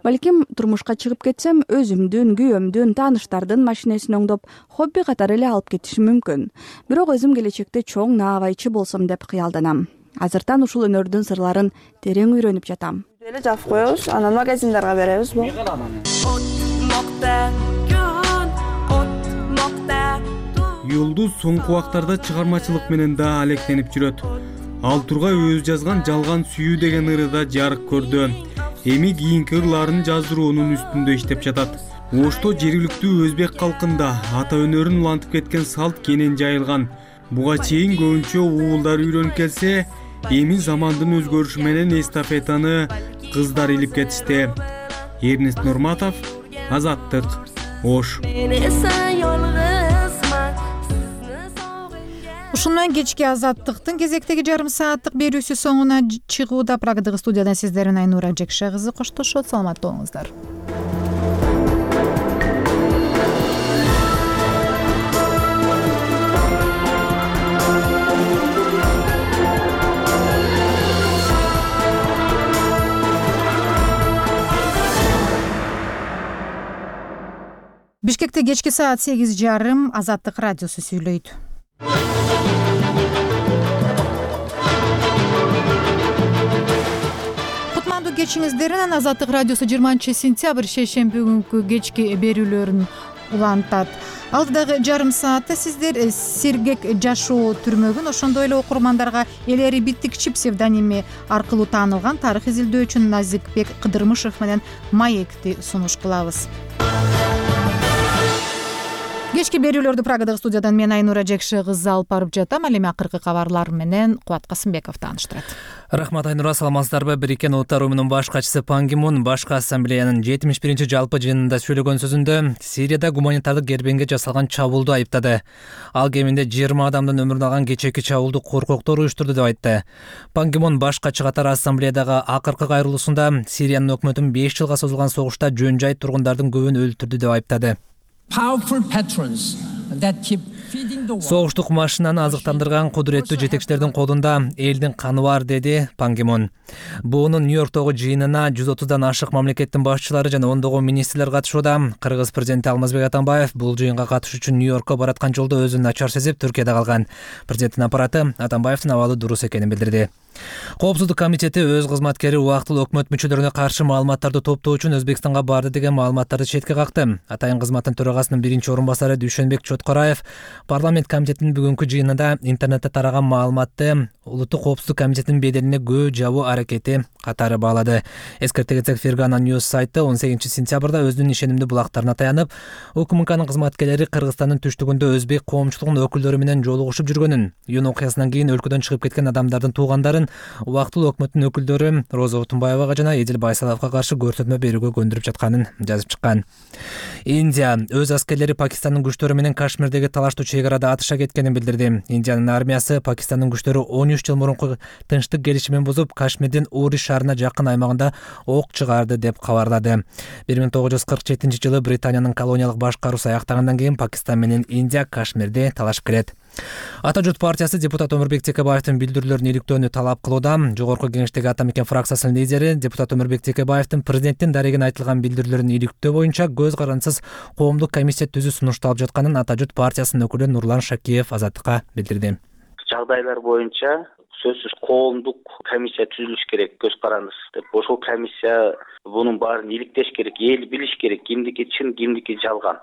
Балким турмушка чыгып кетсем, өзүмдүн, күйөөмдүн, тааныштардын машинесин оңдоп, хобби катары эле алып кетишим мүмкүн. Бирок өзүм келечекте чоң наабайчы болсом деп кыялданам. Азыртан ушул өнөрдүн сырларын терең үйрөнүп жатам. Эле жаап коебуз, анан магазиндерге беребиз бу. Юлдуз соңку убактарда чыгармачылык менен да алектенип жүрөт. Ал Тургай өзү жазган Жалган сүйүү деген ырыда жарык көрдү. Эми кийинки ырларын жаздыруунун үстүндө иштеп жатат. Ошто жергиликтүү өзбек калкында ата өнөрүн улантып кеткен салт кенен жайылган. Буга чейин көбүнчө уулдар үйрөнүп келсе, эми замандын өзгөрүшү менен эстафетаны кыздар илип кетишти. Эрнест Нурматов, Азаттык, Ош. Ушуну менен кечки Азаттыктын кезектеги жарым сааттык берүүсү соңуна чыгууда. Прагадагы студиядан сиздердин Айнура Жекше кызы коштошот. Саламатта болуңуздар. Бишкекте кечки саат сегиз жарым. Азаттык радиосу сүйлөйт. Кутмандуу кечиңиздеринен Азаттык радиосу жыйырманчы сентябрь шейшемби күнкү кечки берүүлөрүн улантат. Алдыдагы жарым саатта сиздер Сергек жашоо түрмөгүн, ошондой эле окурмандарга Элери Биттикчи псевдоними аркылуу таанылган тарых изилдөөчү Назикбек Кыдырмышев менен Маекти сунуш кылабыз. Кечки берүүлөрдү Прагадагы студиядан мен Айнура Жекше кызы алып барып жатам. Ал эми акыркы кабарлар менен Кубат Касымбеков тааныштырат. Рахмат, Айнура. Саламатсыздарбы? Бириккен Улуттар уюмунун баш катчысы Пан Ги Мун башкы ассамблеянын жетимиш биринчи жалпы жыйынында сөйлөгөн сөзүндө Сирияда гуманитардык кербеңге жасалган чабуулду айыптады. Ал кеминде жыйырма адамдын өмүрүн алган кечээки чабуулду коркоктор уюштурду деп айтты. Пан Ги Мун баш катчы катары ассамблеядагы акыркы кайрылуусунда Сириянын өкмөтүн беш жылга созулган согушта жөн жай тургундардын көбүн өлтүрдү деп айыптады. Согуштук машинаны азыктандырган кудуреттүү жетекчилердин колунда элдин каны бар, деди Пан Ги Мун. Буунун Нью-Йорктогу жыйынына жүз отуздан ашык мамлекеттин башчылары жана ондогон министрлер катышууда. Кыргыз президенти Алмазбек Атамбаев бул жыйынга катышуу үчүн Нью-Йоркко бараткан жолдо өзүн начар сезип, Түркияда калган. Президенттин аппараты Атамбаевдин абалы дурус экенин билдирди. Коопсуздук комитети өз кызматкери убактылуу өкмөт мүчөлөрүнө каршы маалыматтарды топтоо үчүн Өзбекстанга барды деген маалыматтарды четке какты. Атайын кызматтын төрагасынын биринчи орун басары Дүйшөнбек Чоткораев парламент комитетинин бүгүнкү жыйынында интернетте тараган маалыматты Улуттук коопсуздук комитетинин беделине көө жабуу аракети катары баалады. Эскерте кетсек, Фергана News сайты он сегизинчи сентябрда өзүнүн ишенимдүү булагтарына таянып, УКМКнын кызматкерлери Кыргызстандын түштүгүндө өзбек коомчулугунун өкүлдөрү менен жолугушуп жүргөнүн, июнь окуясынан кийин өлкөдөн чыгып кеткен адамдардын туугандарын убактылуу өкмөттүн өкүлдөрү Роза Утунбаевага жана Эдил Байсаловго каршы көрсөтмө берүүгө көндүрүп жатканын жазып чыккан. Индия өз аскерлери Пакистандын күчтөрү менен Кашмирдеги талаштуу чек арада атыша кеткенин билдирди. Индиянын армиясы Пакистандын күчтөрү он үч жыл мурунку тынчтык келишимин бузуп, Кашмирдин Ури шаарына жакын аймагында ок чыгарды деп кабарлады. бир миң тогуз жүз кырк жетинчи жылы Британиянын колониялык башкаруусу аяктагандан кийин Пакистан менен Индия Кашмирди талашып келет. Ата журт партиясы депутат Өмүрбек Текебаевдин билдирүүлөрүн иликтөөнү талап кылууда. Жогорку кеңештеги Ата Мекен фракциясынын лидери депутат Өмүрбек Текебаевдин президенттин дарегине айтылган билдирүүлөрүн иликтөө боюнча көз карандысыз коомдук комиссия түзүү сунушталып жатканын Ата журт партиясынын өкүлү Нурлан Шакиев Азаттыкка билдирди. Жагдайлар боюнча сөзсүз коомдук комиссия түзүлүш керек, көз карандысыз деп. Ошол комиссия бунун баарын иликтеш керек, эл билиш керек, кимдики чын, кимдики жалган.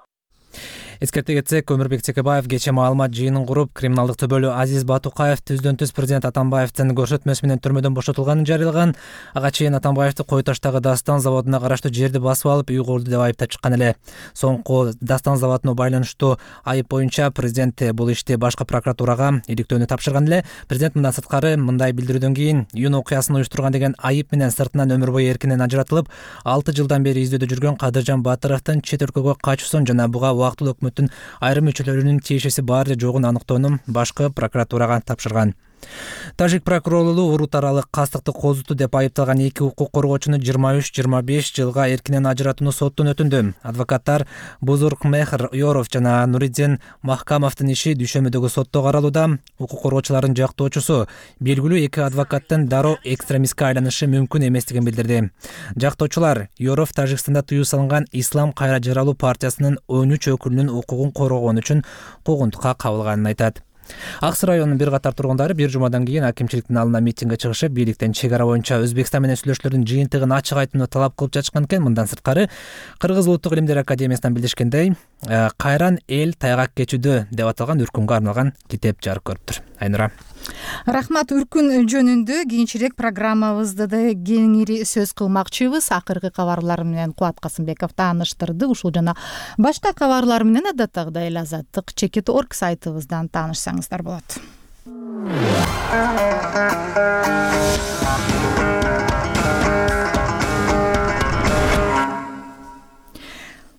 Эскерте кетсек, Өмүрбек Текебаев кечээ маалымат жыйынын куруп, криминалдык төбөлү Азиз Батукаев түздөн түз президент Атамбаевдин көрсөтмөсү менен түрмөдөн бошотулганын жарыялаган. Ага чейин Атамбаевди Кой Таштагы Дастан заводуна караштуу жерди басып алып, үй курду деп айыптап чыккан эле. Соңку Дастан заводуна байланыштуу айып боюнча президент бул ишти башкы прокуратурага иликтөөнү тапшырган эле. Президент мындан сырткары мындай билдирүүдөн кийин июнь окуясын уюштурган деген айып менен сыртынан өмүр бою эркинен ажыратылып, алты жылдан бери издөөдө жүргөн Кадыржан Батыровдун чет өлкөгө качуусун жана буга убактылуу өкмөттүн айрым мүчөлөрүнүн тиешеси бар же жогун аныктоону башкы прокуратурага тапшырган. Тажик прокурорлугу урут аралык кастыкты козуту деп айыпталган эки укук коргоочуну жыйырма үч жыйырма беш жылга эркинен ажыратууну соттон өтүндү. Адвокаттар Бузург Мехр Йоров жана Нуриддин Махкамовдун иши Дүйшөмбүдөгү сотто каралууда. Укук коргоочулардын жактоочусу белгилүү эки адвокаттын дароо экстремистке айланышы мүмкүн эместигин билдирди. Жактоочулар Йоров Тажикстанда тыюу салынган Ислам кайра жаралуу партиясынын он үч өкүлүнүн укугун коргогон үчүн куугунтукка кабылганын айтат. Аксы районунун бир катар тургундары бир жумадан кийин акимчиликтин алдына митингге чыгышып, бийликтен чек ара боюнча Өзбекстан менен сүйлөшүүлөрдүн жыйынтыгын ачык айтууну талап кылып жатышкан экен. Мындан сырткары Кыргыз Улуттук илимдер академиясынан билдиришкендей, кайран эл тайгак кечүүдө деп аталган үркүнгө арналган китеп жарык көрүптүр. Айнура. Рахмат. Үркүн жөнүндө кийинчерээк программабызда да кеңири сөз кылмакчыбыз. Акыркы кабарлар менен Кубат Касымбеков тааныштырды. Ушул жана башка кабарлар менен адаттагыдай эле азаттык чекит точка орг сайтыбыздан таанышсаңыздар болот.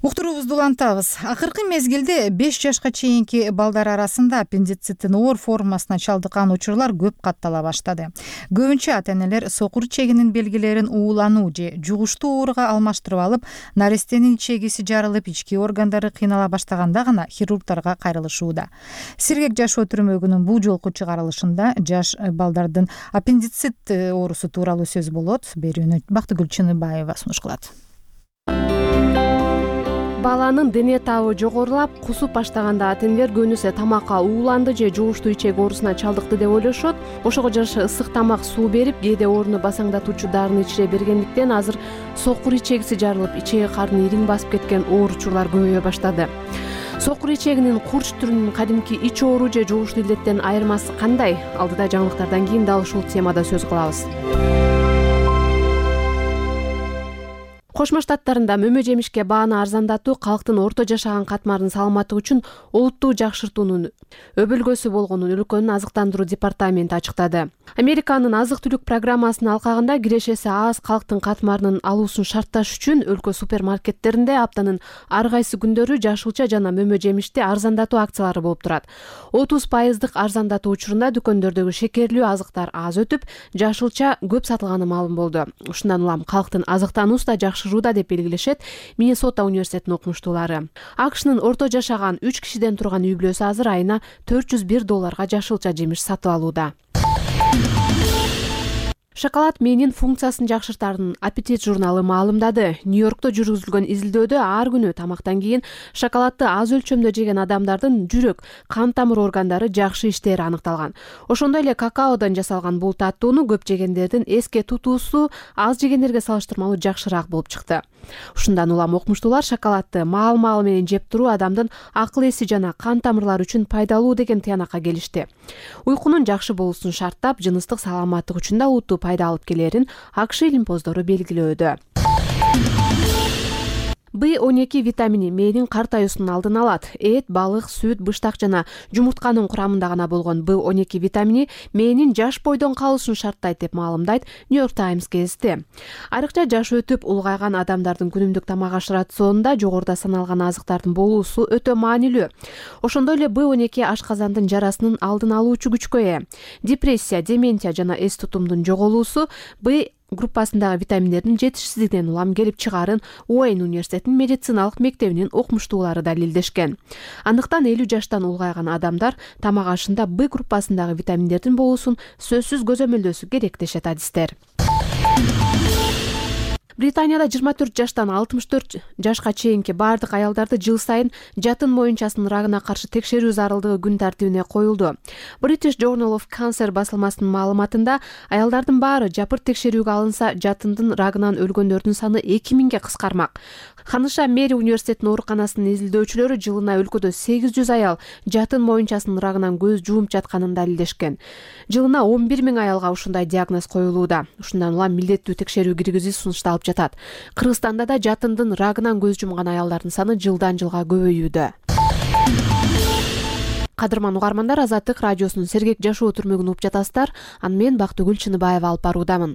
Уктуруубузду улантабыз. Акыркы мезгилде беш жашка чейинки балдар арасында аппендициттин оор формасына чалдыккан учурлар көп каттала баштады. Көбүнчө ата-энелер сокур ичегинин белгилерин уулануу же жугуштуу ооруга алмаштырып алып, нарестенин ичегиси жарылып, ички органдары кыйнала баштаганда гана хирургдарга кайрылышууда. Сергек жашоо түрмөгүнүн бул жолку чыгарылышында жаш балдардын аппендицит оорусу тууралуу сөз болот. Берүүнү Бактыгүл Чыныбаева сунуш кылат. Баланын дене табы жогорулап, кусуп баштаганда ата-энелер көбүнесе тамакка ууланды же жугуштуу ичек оорусуна чалдыкты деп ойлошот. Ошого жараша ысык тамак, суу берип, кээде ооруну басаңдатуучу дарыны ичире бергендиктен азыр сокур ичегиси жарылып, ичеги карны ириң басып кеткен оор учурлар көбөйө баштады. Сокур ичегинин курч түрүнүн кадимки ич оору же жугуштуу илдеттен айырмасы кандай? Алдыда жаңылыктардан кийин дал ушул темада сөз кылабыз. Кошмо Штаттарында мөмө жемишке бааны арзандатуу калктын орто жашаган катмарынын саламаттыгы үчүн олуттуу жакшыртуунун өбөлгөсү болгонун өлкөнүн азыктандыруу департаменти ачыктады. Американын азык-түлүк программасынын алкагында кирешеси аз калктын катмарынын алуусун шартташ үчүн өлкө супермаркеттеринде аптанын ар кайсы күндөрү жашылча жана мөмө жемишти арзандатуу акциялары болуп турат. отуз пайыздык арзандатуу учурунда дүкөндөрдөгү шекерлүү азыктар аз өтүп, жашылча көп сатылганы маалым болду. Ушундан улам калктын азыктануусу да жакшырууда деп белгилешет Миннесота университетинин окумуштуулары. АКШнын орто жашаган үч кишиден турган үй бүлөсү азыр айына төрт жүз бир долларга жашылча жемиш сатып алууда. Шоколад мээнин функциясын жакшыртарын Аппетит журналы маалымдады. Нью-Йоркто жүргүзүлгөн изилдөөдө ар күнү тамактан кийин шоколадты аз өлчөмдө жеген адамдардын жүрөк, кан тамыр органдары жакшы иштери аныкталган. Ошондой эле какаодон жасалган бул таттууну көп жегендердин эске тутуусу аз жегендерге салыштырмалуу жакшыраак болуп чыкты. Ушундан улам окумуштуулар шоколадты маал-маал менен жеп туруу адамдын акыл эси жана кан тамырлары үчүн пайдалуу деген тыянакка келишти. Уйкунун жакшы болуусун шарттап, жыныстык саламаттык үчүн да утуу пайда алып келерин АКШ илимпоздору белгилөөдө. Б он эки витамини мээнин картаюусунун алдын алат. Эт, балык, сүт, быштак жана жумуртканын курамында гана болгон Б он эки витамини мээнин жаш бойдон калуусун шарттайт деп маалымдайт Нью-Йорк Таймс гезити. Айрыкча жаш өтүп улгайган адамдардын күнүмдүк тамак аш рационунда жогоруда саналган азыктардын болуусу өтө маанилүү. Ошондой эле Б он эки ашказандын жарасынын алдын алуучу күчкө ээ. Депрессия, деменция жана эс тутумдун жоголуусу Б группасындагы витаминдердин жетишсиздигинен улам келип чыгаарын Уэйн университетинин медициналык мектебинин окумуштуулары далилдешкен. Андыктан элүү жаштан улгайган адамдар тамак ашында Б группасындагы витаминдердин болуусун сөзсүз көзөмөлдөсү керек дешет адистер. Британияда жыйырма төрт жаштан алтымыш төрт жашка чейинки бардык аялдарды жыл сайын жатын моюнчасынын рагына каршы текшерүү зарылдыгы күн тартибине коюлду. British Journal of Cancer басылмасынын маалыматында аялдардын баары жапырт текшерүүгө алынса, жатындын рагынан өлгөндөрдүн саны эки миңге кыскармак. Ханыша Мэри университетинин ооруканасынын изилдөөчүлөрү жылына өлкөдө сегиз жүз аял жатын моюнчасынын рагынан көз жуумп жатканын далилдешкен. Жылына он бир миң аялга ушундай диагноз коюлууда. Ушундан улам милдеттүү текшерүү киргизүү сунушталып жатат. Кыргызстанда да жатындын рагынан көз жумган аялдардын саны жылдан жылга көбөйүүдө. Кадырман угармандар, Азаттык радиосунун Сергек жашоо түрмөгүн угуп жатасыздар. Аны мен Бактыгүл Чыныбаева алып баруудамын.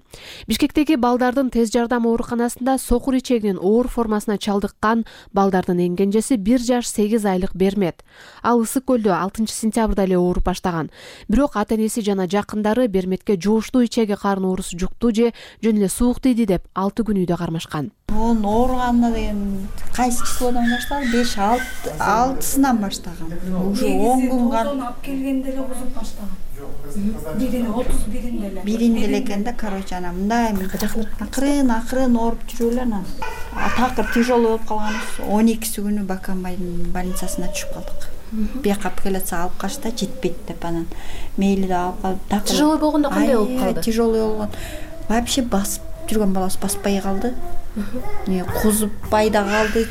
Бишкектеги балдардын тез жардам ооруканасында сокур ичегинин оор формасына чалдыккан балдардын эң кенжеси бир жаш сегиз айлык Бермет. Ал Ысык көлдө алтынчы сентябрда эле ооруп баштаган. Бирок ата-энеси жана жакындары Берметке жугуштуу ичеги карын оорусу жукту же жөн эле суук тийди деп алты күн үйдө кармашкан. Мун ооруганына деген кайсы числодан баштады? беш алтысынан баштаган. Уже он күн алып келгенде эле кузуп баштаган. Бирин отуз биринде эле. Биринде эле экен да, короче, ана мындай акырын акырын ооруп жүрүп эле анан такыр тяжелый болуп калганбыз. он экиси күнү Баканбайдын больницасына түшүп калдык. Бияка апелляция алып качта жетпейт деп анан мейли да алып калып. Тяжелый болгондо кандай болуп калды? Тяжелый болгон. Вообще басып жүргөн баласы баспай калды. Не кузуппай да калды,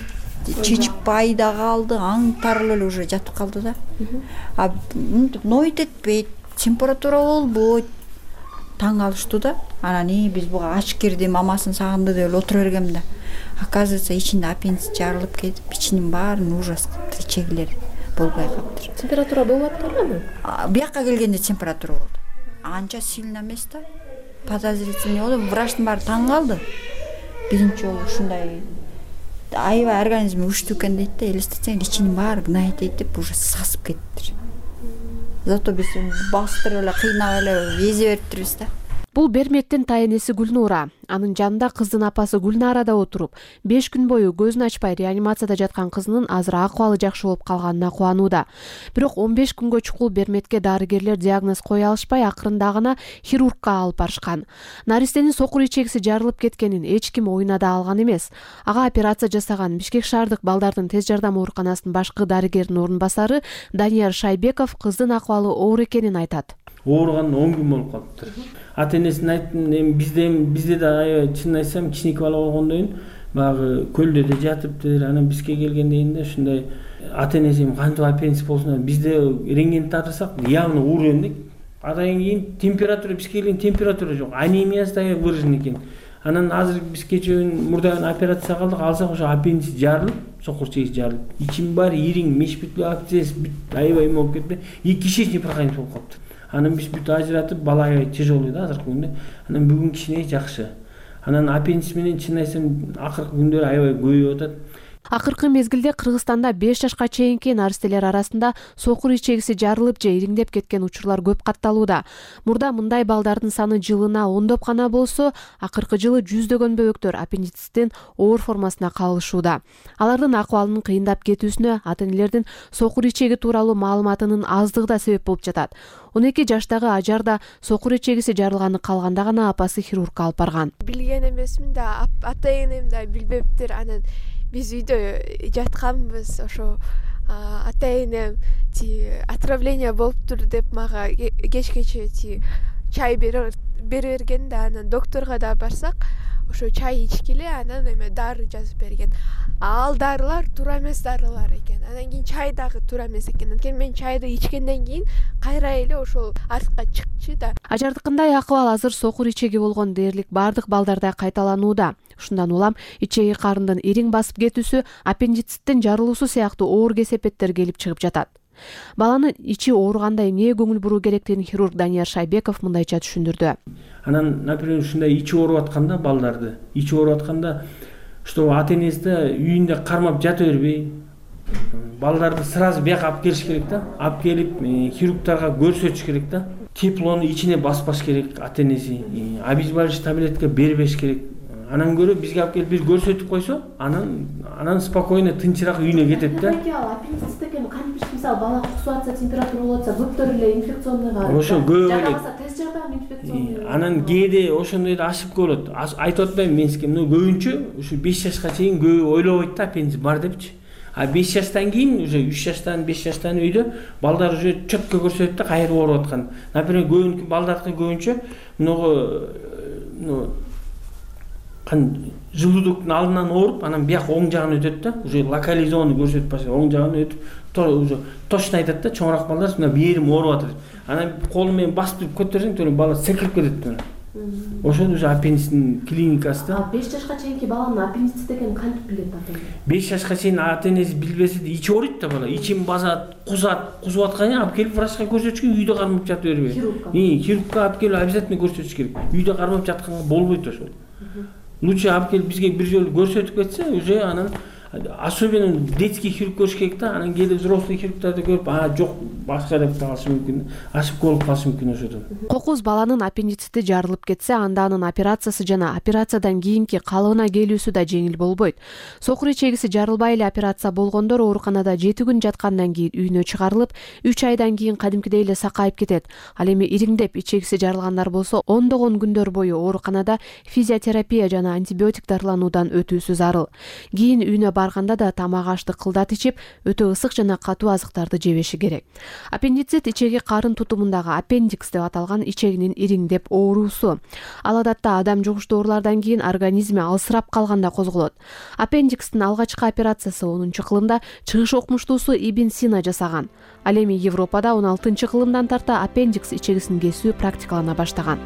чечип бай да калды, аң тарыл эле уже жатып калды да. А мынтип ноют этпейт, температура болбойт. Таң калыштуу да. Анан и биз буга ач кирди, мамасын сагынды деп эле отура бергем да. Оказывается, ичинде аппендицит жарылып кетип, ичинин баарын ужас кылыптыр, ичегилер болбой калыптыр. Температура болуп атканбы? Бияка келгенде температура болду. Анча сильно эмес да. Подозрительный болду. Врачтын баары таң калды. Биринчи жолу ушундай аябай организми күчтүү экен дейт да, элестетсең ичинин баары гнайт этип уже сасып кетиптир. Зато биз бастырып эле кыйнап эле эзе бериптирбиз да. Бул Бермектин тайенеси Гүлнура. Анын жанында кыздын апасы Гүлнара да отуруп, беш күн бою көзүн ачпай реанимацияда жаткан кызынын азыр акыбалы жакшы болуп калганына кубанууда. Бирок он беш күнгө чукул Берметке дарыгерлер диагноз кое алышпай, акырында гана хирургка алып барышкан. Наристенин сокур ичегиси жарылып кеткенин эч ким оюна да алган эмес. Ага операция жасаган Бишкек шаардык балдардын тез жардам ооруканасынын башкы дарыгеринин орун басары Данияр Шайбеков кыздын акыбалы оор экенин айтат. Ооруганына он күн болуп калыптыр. Ата энесине айттым, эми бизде бизде да аябай чынын айтсам кичинекей бала болгондон баягы көлдө да жатыптыр. Анан бизге келгенден кийин да ушундай ата энеси кантип аппендицит болсун, бизде рентген тартсак явно уурен дейт. Адан кийин температура бизге келген температура жок, анемиясы да выражен экен. Анан азыр биз кечээ мурда операция кылдык, алсак ошо аппендицит жарылып, сокур чегиси жарылып, ичим баары ириң, меш бүт акциясы бүт аябай эме болуп кетти. И кишечный проходимость болуп калыптыр. Анан биз бүт ажыратып, бала аябай тяжелый да азыркы күндө. Анан бүгүн кичине жакшы. Анан аппендицит менен чын айтсам акыркы күндөрү аябай көбөйүп атат. Акыркы мезгилде Кыргызстанда беш жашка чейинки наристелер арасында сокур ичегиси жарылып же ириңдеп кеткен учурлар көп катталууда. Мурда мындай балдардын саны жылына ондоп гана болсо, акыркы жылы жүздөгөн бөбөктөр аппендициттин оор формасына калышууда. Алардын акыбалынын кыйындап кетүүсүнө ата энелердин сокур ичеги тууралуу маалыматынын аздыгы да себеп болуп жатат. он эки жаштагы Ажар да сокур ичегиси жарылганы калганда гана апасы хирургка алып барган. Билген эмесмин да, ата энем да билбептир. Анан биз үйдө жатканбыз, ошо ата энем ти отравление болуптур деп мага кечкече ти чай бере берген да, анан докторго да барсак, ошо чай ичкиле, анан эме дары жазып берген. Ал дарылар туура эмес дарылар экен. Анан кийин чай дагы туура эмес экен. Анткени мен чайды ичкенден кийин кайра эле ошол артка чыкчу да. Ажардыкындай акыбал азыр сокур ичеги болгон дээрлик бардык балдарда кайталанууда. Ушундан улам ичеги карындын ириң басып кетүүсү, аппендициттин жарылуусу сыяктуу оор кесепеттер келип чыгып жатат. Баланын ичи ооруганда эмнеге көңүл буруу керектигин хирург Данияр Шайбеков мындайча түшүндүрдү. Анан, например, ушундай ичи ооруп атканда балдарды, ичи ооруп атканда что ата энеси да үйүндө кармап жата бербей, балдарды сразу бияка алып келиш керек да. Алып келип хирургтарга көрсөтүш керек да. Теплону ичине баспаш керек ата энеси. Обезболивающий таблетка бербеш керек. Анан көрө бизге алып келип бир көрсөтүп койсо, анан анан спокойно тынчыраак үйүнө кетет да. Аппендицит экен, кантип мисалы бала кусуп атса, температура болуп атса, көптөр эле инфекционныйга. Ошо көп эле. Тез жардам инфекционный. Анан кээде ошондой да ашып болот. Айтып атпайм мен сизге, но көбүнчө ушу беш жашка чейин көбү ойлобойт да аппендицит бар депчи. А беш жаштан кийин уже үч жаштан беш жаштан үйдө балдар уже чөткө көрсөтөт да кайра ооруп аткан. Например, көбүнчө балдардыкы көбүнчө мыногу кан желудоктун алдынан ооруп, анан бияк оң жагына өтөт да, уже локализованный көрсөтүп баштайт, оң жагына өтүп, уже точно айтат да, чоңураак балдар мына бир жерим ооруп атат. Анан колу менен басып көтөрсөң, төрөм бала секирип кетет мына. Ошол уже аппендицитин клиникасы да. беш жашка чейинки баланын аппендицит экенин кантип билет ата эне? беш жашка чейин ата энеси билбесе да ичи ооруйт да бала, ичим басат, кузат, кузуп атканда алып келип врачка көрсөтүш керек, үйдө кармап жата бербей. И хирургка алып келип обязательно көрсөтүш керек. Үйдө кармап жатканга болбойт ошол. Лучше алып келип бизге бир жолу көрсөтүп кетсе, уже анан особенно детский хирург көрүш керек да, анан кээде взрослый хирургтарды көрүп, а жок, башка деп калышы мүмкүн, ашып болуп калышы мүмкүн ошодон. Кокуз баланын аппендицити жарылып кетсе, анда анын операциясы жана операциядан кийинки калыбына келүүсү да жеңил болбойт. Сокур ичегиси жарылбай эле операция болгондор ооруканада жети күн жаткандан кийин үйүнө чыгарылып, үч айдан кийин кадимкидей эле сакайып кетет. Ал эми ириңдеп ичегиси жарылгандар болсо, ондогон күндөр бою ооруканада физиотерапия жана антибиотик дарылануудан өтүүсү зарыл. Кийин үйүнө барганда да тамак ашты кылдат ичип, өтө ысык жана катуу азыктарды жебеши керек. Аппендицит ичеги карын тутумундагы аппендикс деп аталган ичегинин ириңдеп оорусу. Ал адатта адам жугуштуу оорулардан кийин организми алсырап калганда козголот. Аппендикстин алгачкы операциясы онунчу кылымда чыгыш окумуштуусу Ибн Сина жасаган. Ал эми Европада он алтынчы кылымдан тарта аппендикс ичегисин кесүү практикалана баштаган.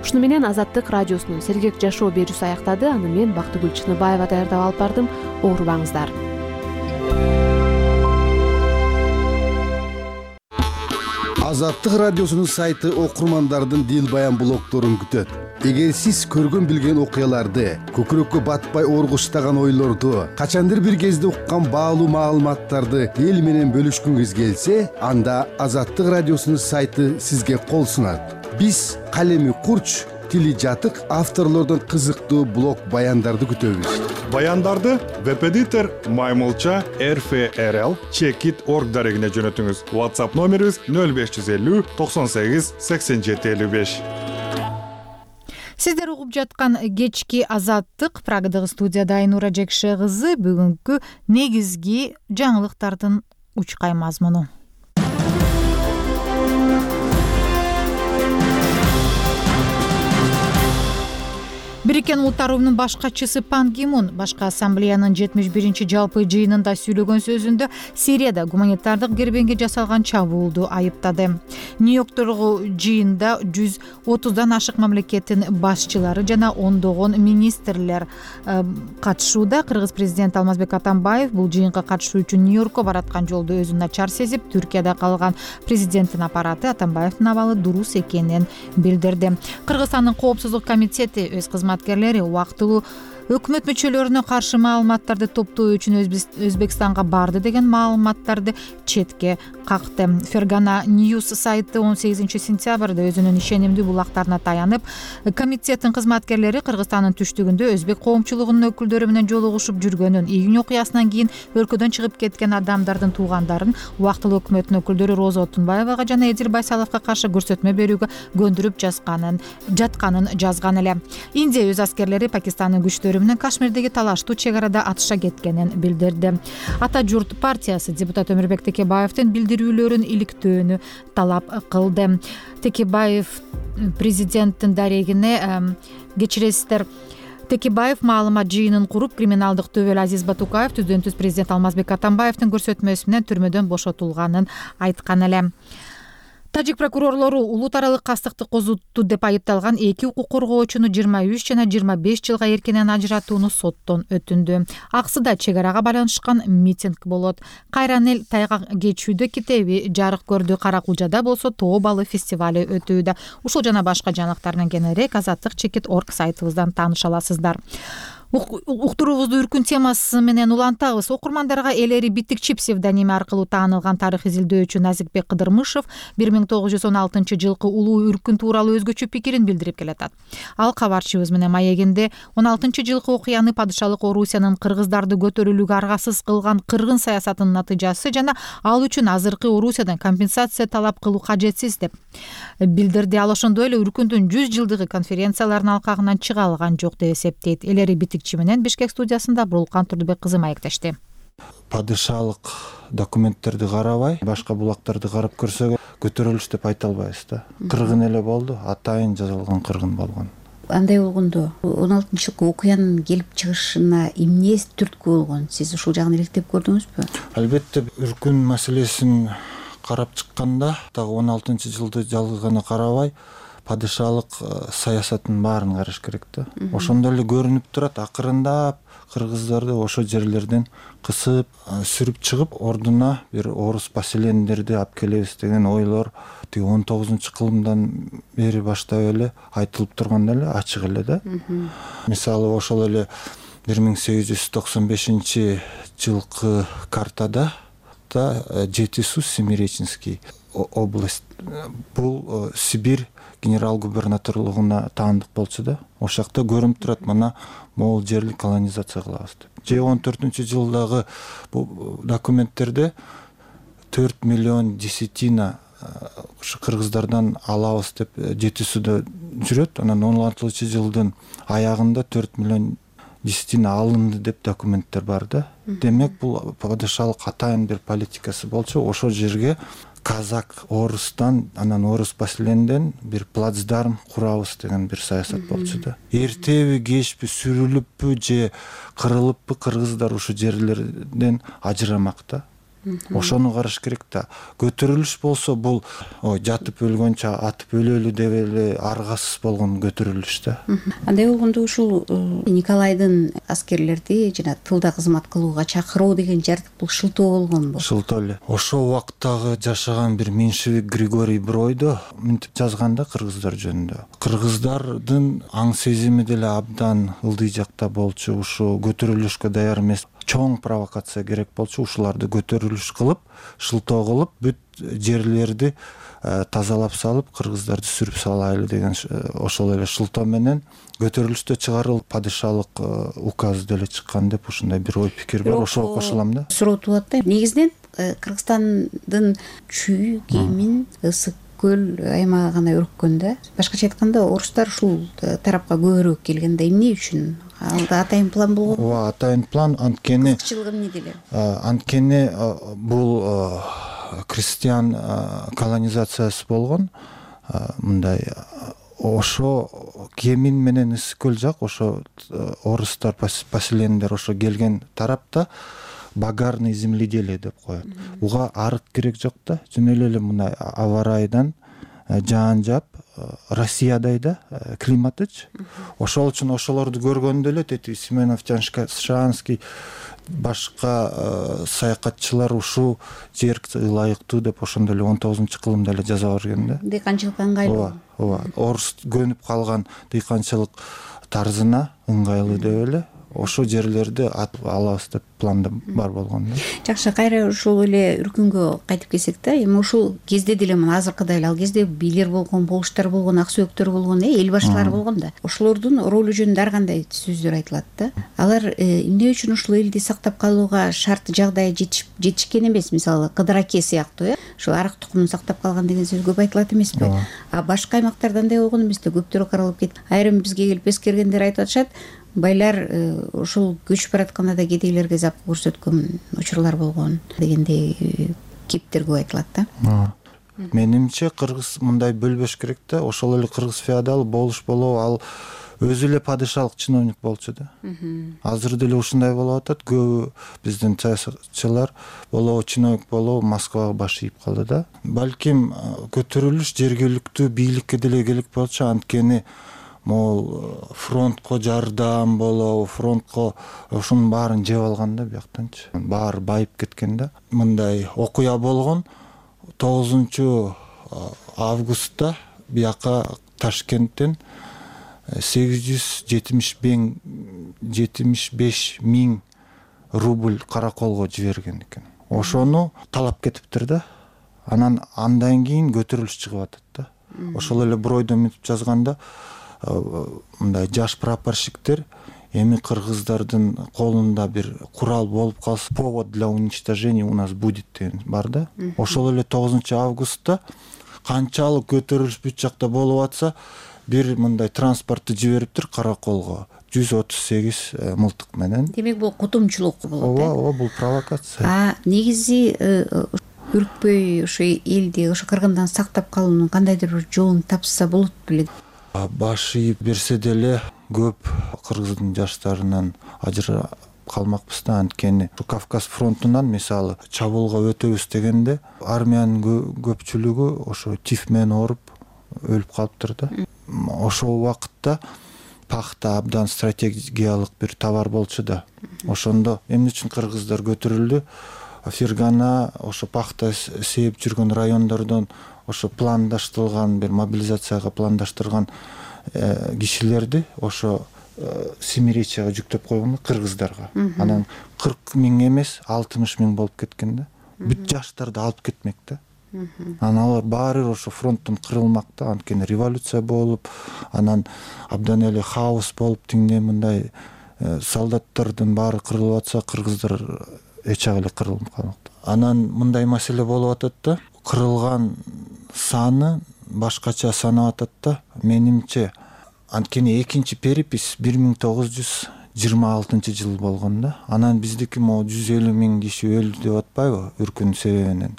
Ушуну менен Азаттык радиосунун сергек жашоо берүүсү аяктады. Аны мен Бактыгүл Чыныбаева даярдап алып бардым. Оорубаңыздар. Азаттык радиосунун сайты окурмандардын дил баян блогдорун күтөт. Эгер сиз көргөн билген окуяларды, көкүрөккө батпай оргуштаган ойлорду, качандыр бир кезде уккан баалуу маалыматтарды эл менен бөлүшкүңүз келсе, анда Азаттык радиосунун сайты сизге кол сунат. Биз калеми курч, тили жатык авторлордун кызыктуу блог баяндарды күтөбүз. Баяндарды веб-эдитор Маймылча эр эф эр эл чекит точка орг дарегине жөнөтүңүз. WhatsApp номерибиз нөл беш жүз элүү токсон сегиз сексен жети элүү беш. Сиздер угуп жаткан кечки Азаттык Прагадагы студияда Айнура Жекше кызы бүгүнкү негизги жаңылыктардын учкай мазмуну. Бириккен Улуттар уюмунун баш катчысы Пан Ги Мун башкы ассамблеянын жетимиш биринчи жалпы жыйынында сүйлөгөн сөзүндө Сирияда гуманитардык кербенге жасалган чабуулду айыптады. Нью-Йорктогу жыйында жүз отуздан ашык мамлекеттин башчылары жана ондогон министрлер катышууда. Кыргыз президенти Алмазбек Атамбаев бул жыйынга катышуу үчүн Нью-Йоркко бараткан жолдо өзүн начар сезип, Түркияда калган президенттин аппараты Атамбаевдин абалы дурус экенин билдирди. Кыргызстандын коопсуздук комитети өз кызматкерлери убактылуу өкмөт мүчөлөрүнө каршы маалыматтарды топтоо үчүн Өзбекстанга барды деген маалыматтарды четке какты. Фергана News сайты он сегизинчи сентябрда өзүнүн ишенимдүү булактарына таянып, комитеттин кызматкерлери Кыргызстандын түштүгүндө өзбек коомчулугунун өкүлдөрү менен жолугушуп жүргөнүн, июнь окуясынан кийин өлкөдөн чыгып кеткен адамдардын туугандарын убактылуу өкмөттүн өкүлдөрү Роза Отунбаевага жана Эдил Байсаловго каршы көрсөтмө берүүгө көндүрүп жазганын жатканын жазган эле. Индия өз аскерлери Пакистандын күчтөрү менен Кашмирдеги талаштуу чек арада атыша кеткенин билдирди. Ата журт партиясы депутат Өмүрбек Текебаевдин билдирүүлөрүн иликтөөнү талап кылды. Текебаев президенттин дарегине кечиресиздер. Текебаев маалымат жыйынын куруп, криминалдык төбөл Азиз Батукаев түздөн түз президент Алмазбек Атамбаевдин көрсөтмөсү менен түрмөдөн бошотулганын айткан эле. Тажик прокурорлору улут аралык кастыкты козутту деп айыпталган эки укук коргоочуну жыйырма үч жана жыйырма беш жылга эркинен ажыратууну соттон өтүндү. Аксыда чек арага байланышкан митинг болот. Кайран эл тайгак кечүүдө китеби жарык көрдү. Каракулжада болсо тоо балы фестивали өтүүдө. Ушул жана башка жаңылыктар менен кененирээк Азаттык чекит точка орг сайтыбыздан тааныша аласыздар. Уктуруубузду үркүн темасы менен улантабыз. Окурмандарга Элери Битикчи псевдоними аркылуу таанылган тарых изилдөөчү Назикбек Кыдырмышев бир миң тогуз жүз он алтынчы жылкы улуу үркүн тууралуу өзгөчө пикирин билдирип келатат. Ал кабарчыбыз менен маегинде он алтынчы жылкы окуяны падышалык Орусиянын кыргыздарды көтөрүлүүгө аргасыз кылган кыргын саясатынын натыйжасы жана ал үчүн азыркы Орусиядан компенсация талап кылуу кажетсиз деп билдирди. Ал ошондой эле үркүндүн жүз жылдыгы конференцияларынын алкагынан чыга алган жок деп эсептейт. Элери менен Бишкек студиясында Бурулкан Турдубек кызы маектешти. Падышалык документтерди карабай, башка булактарды карап көрсөк, көтөрүлүш деп айта албайбыз да. Кыргын эле болду, атайын жазылган кыргын болгон. Андай болгондо он алтынчы жылкы окуянын келип чыгышына эмне түрткү болгон? Сиз ушул жагын иликтеп көрдүңүзбү? Албетте, үркүн маселесин карап чыкканда, дагы он алтынчы жылды жалгыз гана карабай, падышалык саясаттын баарын караш керек да. Ошондо эле көрүнүп турат, акырындап кыргыздарды ошо жерлерден кысып, сүрүп чыгып, ордуна бир орус поселендерди алып келебиз деген ойлор тиги он тогузунчу кылымдан бери баштап эле айтылып турган эле, ачык эле да. Мисалы ошол эле бир миң сегиз жүз токсон бешинчи жылкы картада да Жети Су Семиреченский область, бул Сибирь генерал-губернаторлугуна таандык болчу да. Ошол жакта көрүнүп турат, мына могул жерди колонизация кылабыз деп. Же он төртүнчү жылдагы бул документтерде төрт миллион десятина кыргыздардан алабыз деп Жети Сууда жүрөт. Анан он алтынчы жылдын аягында төрт миллион действительно алынды деп документтер бар да. Демек бул падышалык атайын бир политикасы болчу. Ошол жерге казак орустан, анан орус поселенинден бир плацдарм курабыз деген бир саясат болчу да. Эртеби кечпи сүрүлүппү же кырылыппы кыргыздар ушул жерлерден ажырамак да. Ошону караш керек да. Көтөрүлүш болсо бул ой жатып өлгөнчө атып өлөлү деп эле аргасыз болгон көтөрүлүш да. Андай болгондо ушул Николайдын аскерлерди жана тылда кызмат кылууга чакыруу деген жардык бул шылтоо болгонбу? Шылтоо эле. Ошол убактагы жашаган бир меньшевик Григорий Бройдо мынтип жазган да кыргыздар жөнүндө. Кыргыздардын аң сезими деле абдан ылдый жакта болчу, ушу көтөрүлүшкө даяр эмес. Чоң провокация керек болчу, ушуларды көтөрүлүш кылып, шылтоо кылып, бүт жерлерди тазалап салып, кыргыздарды сүрүп салайлы деген ошол эле шылтоо менен көтөрүлүштө чыгарылып падышалык указ деле чыккан деп ушундай бир ой пикир бар. Ошого кошулам да. Суроо туулат да. Негизинен Кыргызстандын чүй кийимин ысык көл аймагына өрккөн да. Башкача айтканда, орустар ушул тарапка көбүрөөк келген да. Эмне үчүн? Ал да атайын план болгон. Ооба, атайын план. Анткени кызыкчылыгы эмнеде эле? Анткени бул крестьян колонизациясы болгон. Мындай ошо Кемин менен ысык көл жак, ошо орустар поселениндер ошо келген тарапта багарный земледелие деп коет. Буга арык керек жок да. Жөн эле мына аба ырайдан жаан жаап, Россиядай да климатыч. Ошол үчүн ошолорду көргөндө эле тети Семенов, Шанский башка саякатчылар ушул жер ылайыктуу деп ошондо эле он тогузунчу кылымда эле жаза берген да. Дыйканчылыкка ыңгайлуу. Ооба, ооба. Орус көнүп калган дыйканчылык тарзына ыңгайлуу деп эле ошо жерлерди атып алабыз деп планда бар болгон да. Жакшы, кайра ушул эле үркүнгө кайтып келсек да, эми ушул кезде деле мына азыркыдай эле ал кезде бийлер болгон, болуштар болгон, ак сөөктөр болгон, э, эл башчылары болгон да. Ошолордун ролу жөнүндө ар кандай сөздөр айтылат да. Алар эмне үчүн ушул элди сактап калууга шарт жагдай жетишкен эмес? Мисалы, Кыдыр аке сыяктуу, э, ушул арык тукумун сактап калган деген сөз көп айтылат эмеспи? А башка аймактарда андай болгон эмес да, көптөрү каралып кетти. Айрым бизге келип эскергендер айтып атышат, байлар ушул көчүп баратканда да кедейлерге зап көрсөткөн учурлар болгон дегендей кептер көп айтылат да. Менимче кыргыз мындай бөлбөш керек да. Ошол эле кыргыз феодал болуш болобу, ал өзү эле падышалык чиновник болчу да. Азыр деле ушундай болуп атат. Көбү биздин саясатчылар болобу, чиновник болобу Москвага баш ийип калды да. Балким көтөрүлүш жергиликтүү бийликке деле керек болчу, анткени могул фронтко жардам болобу, фронтко ушунун баарын жеп алган да бияктанчы. Баары байып кеткен да. Мындай окуя болгон тогузунчу августта бияка Ташкенттен сегиз жүз жетимиш беш миң рубль караколго жиберген экен. Ошону талап кетиптир да. Анан андан кийин көтөрүлүш чыгып атат да. Ошол эле Бройдо мынтип жазганда, мындай жаш прапорщиктер эми кыргыздардын колунда бир курал болуп калса, повод для уничтожения у нас будет деген бар да. Ошол эле тогузунчу августта канчалык көтөрүлүш бүт жакта болуп атса, бир мындай транспортты жибериптир караколго жүз отуз сегиз мылтык менен. Демек бул кутумчулук болот. Ооба, ооба, бул провокация. А негизи үркпөй ошо элди, ошо кыргындан сактап калуунун кандайдыр бир жолун тапса болот беле? Баш ийип берсе деле көп кыргыздын жаштарынан ажыра калмакпыз да. Анткени Кавказ фронтунан мисалы чабуулга өтөбүз дегенде армиянын көпчүлүгү ошо тиф менен ооруп өлүп калыптыр да. Ошол убакытта пахта абдан стратегиялык бир товар болчу да. Ошондо эмне үчүн кыргыздар көтөрүлдү? Фергана ошо пахта сээп жүргөн райондордон ошо пландаштырылган бир мобилизацияга пландаштырган кишилерди ошо Семиречияга жүктөп койгон кыргыздарга. Анан кырк миң эмес, алтымыш миң болуп кеткен да. Бүт жаштарды алып кетмек да. Анан алар баары ошо фронттон кырылмак да. Анткени революция болуп, анан абдан эле хаос болуп, тиңде мындай солдаттардын баары кырылып атса, кыргыздар эчак эле кырылып калмак. Анан мындай маселе болуп атат да. Кырылган саны башкача санап атат да. Менимче, анткени экинчи перепись бир миң тогуз жүз жыйырма алтынчы жыл болгон да. Анан биздики могу жүз элүү миң киши өлдү деп атпайбы үркүн себебинен.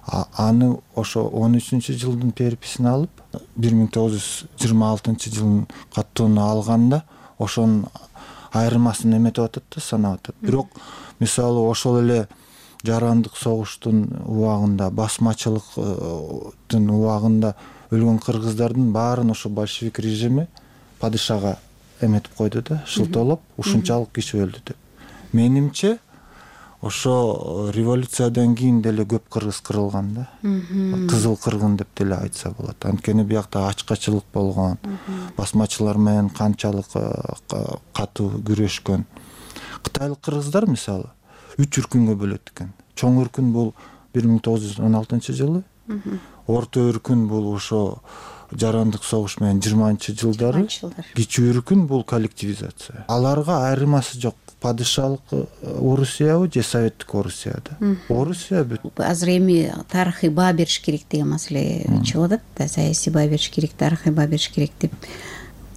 Аны ошо он үчүнчү жылдын переписин алып, бир миң тогуз жүз жыйырма алтынчы жылдын каттоону алганда ошонун айырмасын эметип атат да, санап атат. Бирок мисалы ошол эле жарандык согуштун убагында, басмачылыктын убагында өлгөн кыргыздардын баарын ошо большевик режими падышага эметип койду да, шылтоолоп, ушунчалык киши өлдү деп. Менимче ошо революциядан кийин деле көп кыргыз кырылган да. Кызыл кыргын деп деле айтса болот. Анткени биякта ачкачылык болгон, басмачылар менен канчалык катуу күрөшкөн. Кытайлык кыргыздар мисалы үч үркүнгө бөлөт экен. Чоң үркүн бул бир миң тогуз жүз он алтынчы жылы, орто үркүн бул ошо жарандык согуш менен жыйырманчы жылдары, кичүү үркүн бул коллективизация. Аларга айырмасы жок. Падышалык Орусиябы же советтик Орусияда. Орусия бүт. Азыр эми тарыхый баа бериш керек деген маселе чыгып атат да, саясий баа бериш керек, тарыхый баа бериш керек деп.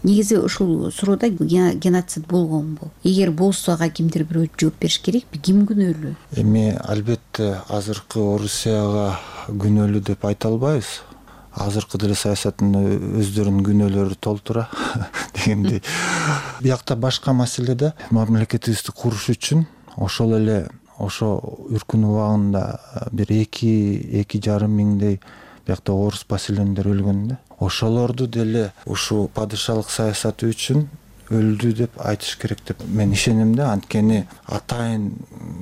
Негизи ушул суроодо геноцид болгонбу? Эгер болсо ага кимдир бирөө жооп бериш керекпи? Ким күнөөлүү? Эми албетте азыркы Орусияга күнөөлүү деп айта албайбыз. Азыркы деле саясаттын өздөрүнүн күнөөлөрү толтура дегендей. Биякта башка маселе да, мамлекетибизди куруш үчүн ошол эле ошо үркүн убагында бир эки эки жарым миңдей биякта орус поселендер өлгөн да. Ошолорду деле ушул падышалык саясаты үчүн өлдү деп айтыш керек деп мен ишенем да. Анткени атайын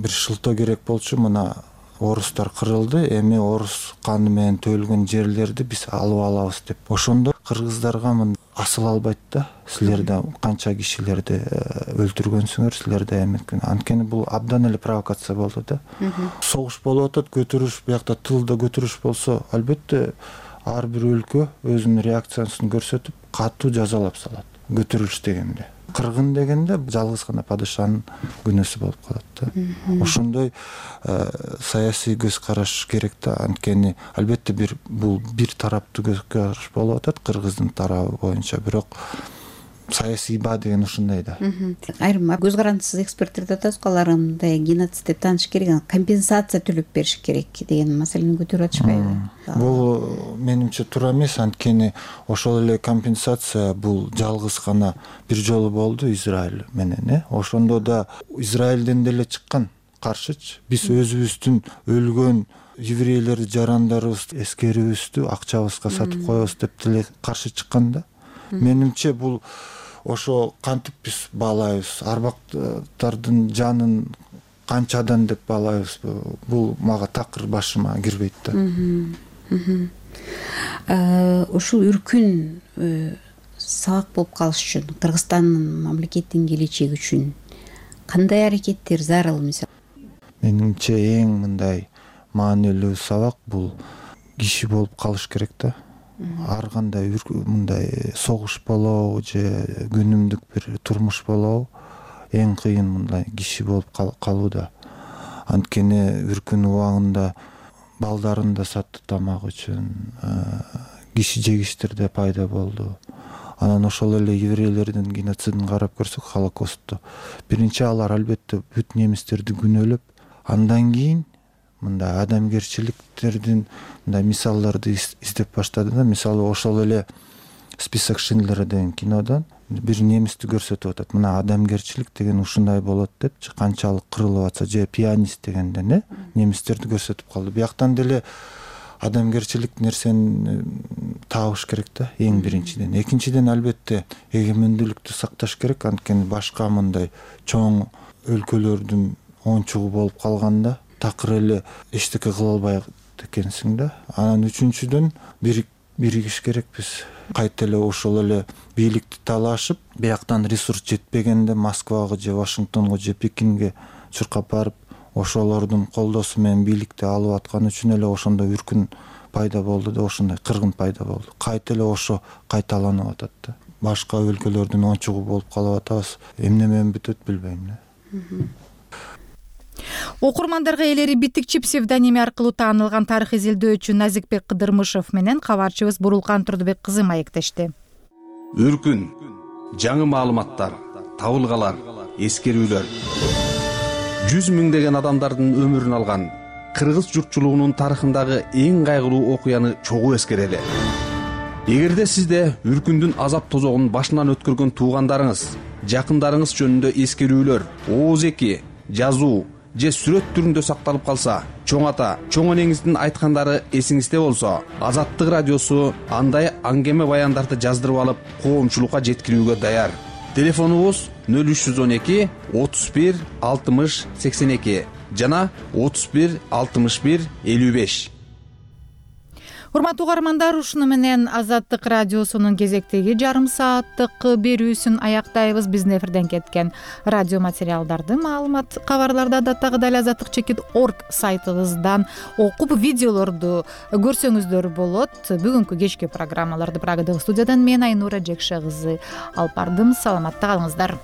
бир шылтоо керек болчу, мына орустар кырылды, эми орус каны менен төлгөн жерлерди биз алып алабыз деп. Ошондо кыргыздарга мына асыл албайт да. Силерде канча кишилерди өлтүргөнсүңөр, силерде эметкен. Анткени бул абдан эле провокация болду да. Согуш болуп атат, көтөрүш, биякта тылда көтөрүш болсо, албетте ар бир өлкө өзүнүн реакциясын көрсөтүп, катуу жазалап салат. Көтөрүлүш дегенде. Кыргын дегенде жалгыз гана падышанын күнөөсү болуп калат да. Ошондой саясий көз караш керек да. Анткени албетте бир бул бир тараптуу көз караш болуп атат кыргыздын тарабы боюнча, бирок саясий баа деген ушундай да. Айрым көз карандысыз эксперттер атат, алар мындай геноцид деп тааныш керек, компенсация төлөп бериш керек деген маселени көтөрүп атышпайбы? Бул менимче туура эмес, анткени ошол эле компенсация бул жалгыз гана бир жолу болду Израиль менен, э. Ошондо да Израилден деле чыккан каршычы. Биз өзүбүздүн өлгөн еврейлерди, жарандарыбызды, эскерибизди акчабызга сатып коебуз деп деле каршы чыккан да. Менимче бул ошо кантип биз баалайбыз, арбактардын жанын канчадан деп баалайбыз, бул мага такыр башыма кирбейт да. Ушул үркүн сабак болуп калыш үчүн, Кыргызстандын мамлекеттин келечеги үчүн кандай аракеттер зарыл? Мисалы, менимче эң мындай маанилүү сабак бул киши болуп калыш керек да. Ар кандай мындай согуш болобу же күнүмдүк бир турмуш болобу, эң кыйын мындай киши болуп калууда. Анткени үркүн убагында балдарын да сатты тамак үчүн, киши жегичтер да пайда болду. Анан ошол эле еврейлердин геноцидин карап көрсөк, Холокосту биринчи алар албетте бүт немистерди күнөөлөп, андан кийин мындай адамгерчиликтердин мындай мисалдарды издеп баштады да. Мисалы ошол эле Список Шиндлера деген кинодон бир немисти көрсөтүп атат. Мына адамгерчилик деген ушундай болот депчи, канчалык кырылып атса, же пианист дегенден э немистерди көрсөтүп калды. Бияктан деле адамгерчилик нерсени табыш керек да, эң биринчиден. Экинчиден албетте эгемендүүлүктү сакташ керек, анткени башка мындай чоң өлкөлөрдүн оңчугу болуп калганда такыр эле эчтеке кыла албайт экенсиң да. Анан үчүнчүдөн биригиш керекпиз. Кайта эле ошол эле бийликти талашып, бияктан ресурс жетпегенде Москвага же Вашингтонго же Пекинге чуркап барып, ошолордун колдоосу менен бийликти алып аткан үчүн эле ошондо үркүн пайда болду да, ошондой кыргын пайда болду. Кайта эле ошо кайталанып атат да. Башка өлкөлөрдүн оңчугу болуп калып атабыз. Эмне менен бүтөт билбейм да. Окурмандарга элери Битикчи псевдоними аркылуу таанылган тарых изилдөөчү Назикбек Кыдырмышев менен кабарчыбыз Бурулкан Турдубек кызы маектешти. Үркүн, жаңы маалыматтар, табылгалар, эскерүүлөр. жүз миңдеген адамдардын өмүрүн алган кыргыз журтчулугунун тарыхындагы эң кайгылуу окуяны чогуу эскерели. Эгерде сизде үркүндүн азап тозогун башынан өткөргөн туугандарыңыз, жакындарыңыз жөнүндө эскерүүлөр, ооз-эки, жазуу же сүрөт түрүндө сакталып калса, чоң ата, чоң энеңиздин айткандары эсиңизде болсо, Азаттык радиосу андай аңгеме баяндарды жаздырып алып, коомчулукка жеткирүүгө даяр. Телефонубуз нөл үч жүз он эки отуз бир алтымыш сексен эки жана отуз бир алтымыш бир элүү беш. Урматтуу угармандар, ушуну менен Азаттык радиосунун кезектеги жарым сааттык берүүсүн аяктайбыз. Биздин эфирден кеткен радио материалдарды, маалымат, кабарларды адаттагыдай эле азаттык чекит орг сайтыбыздан окуп, видеолорду көрсөңүздөр болот. Бүгүнкү кечки программаларды Прагадагы студиядан мен Айнура Жекше кызы алып бардым. Саламатта калыңыздар.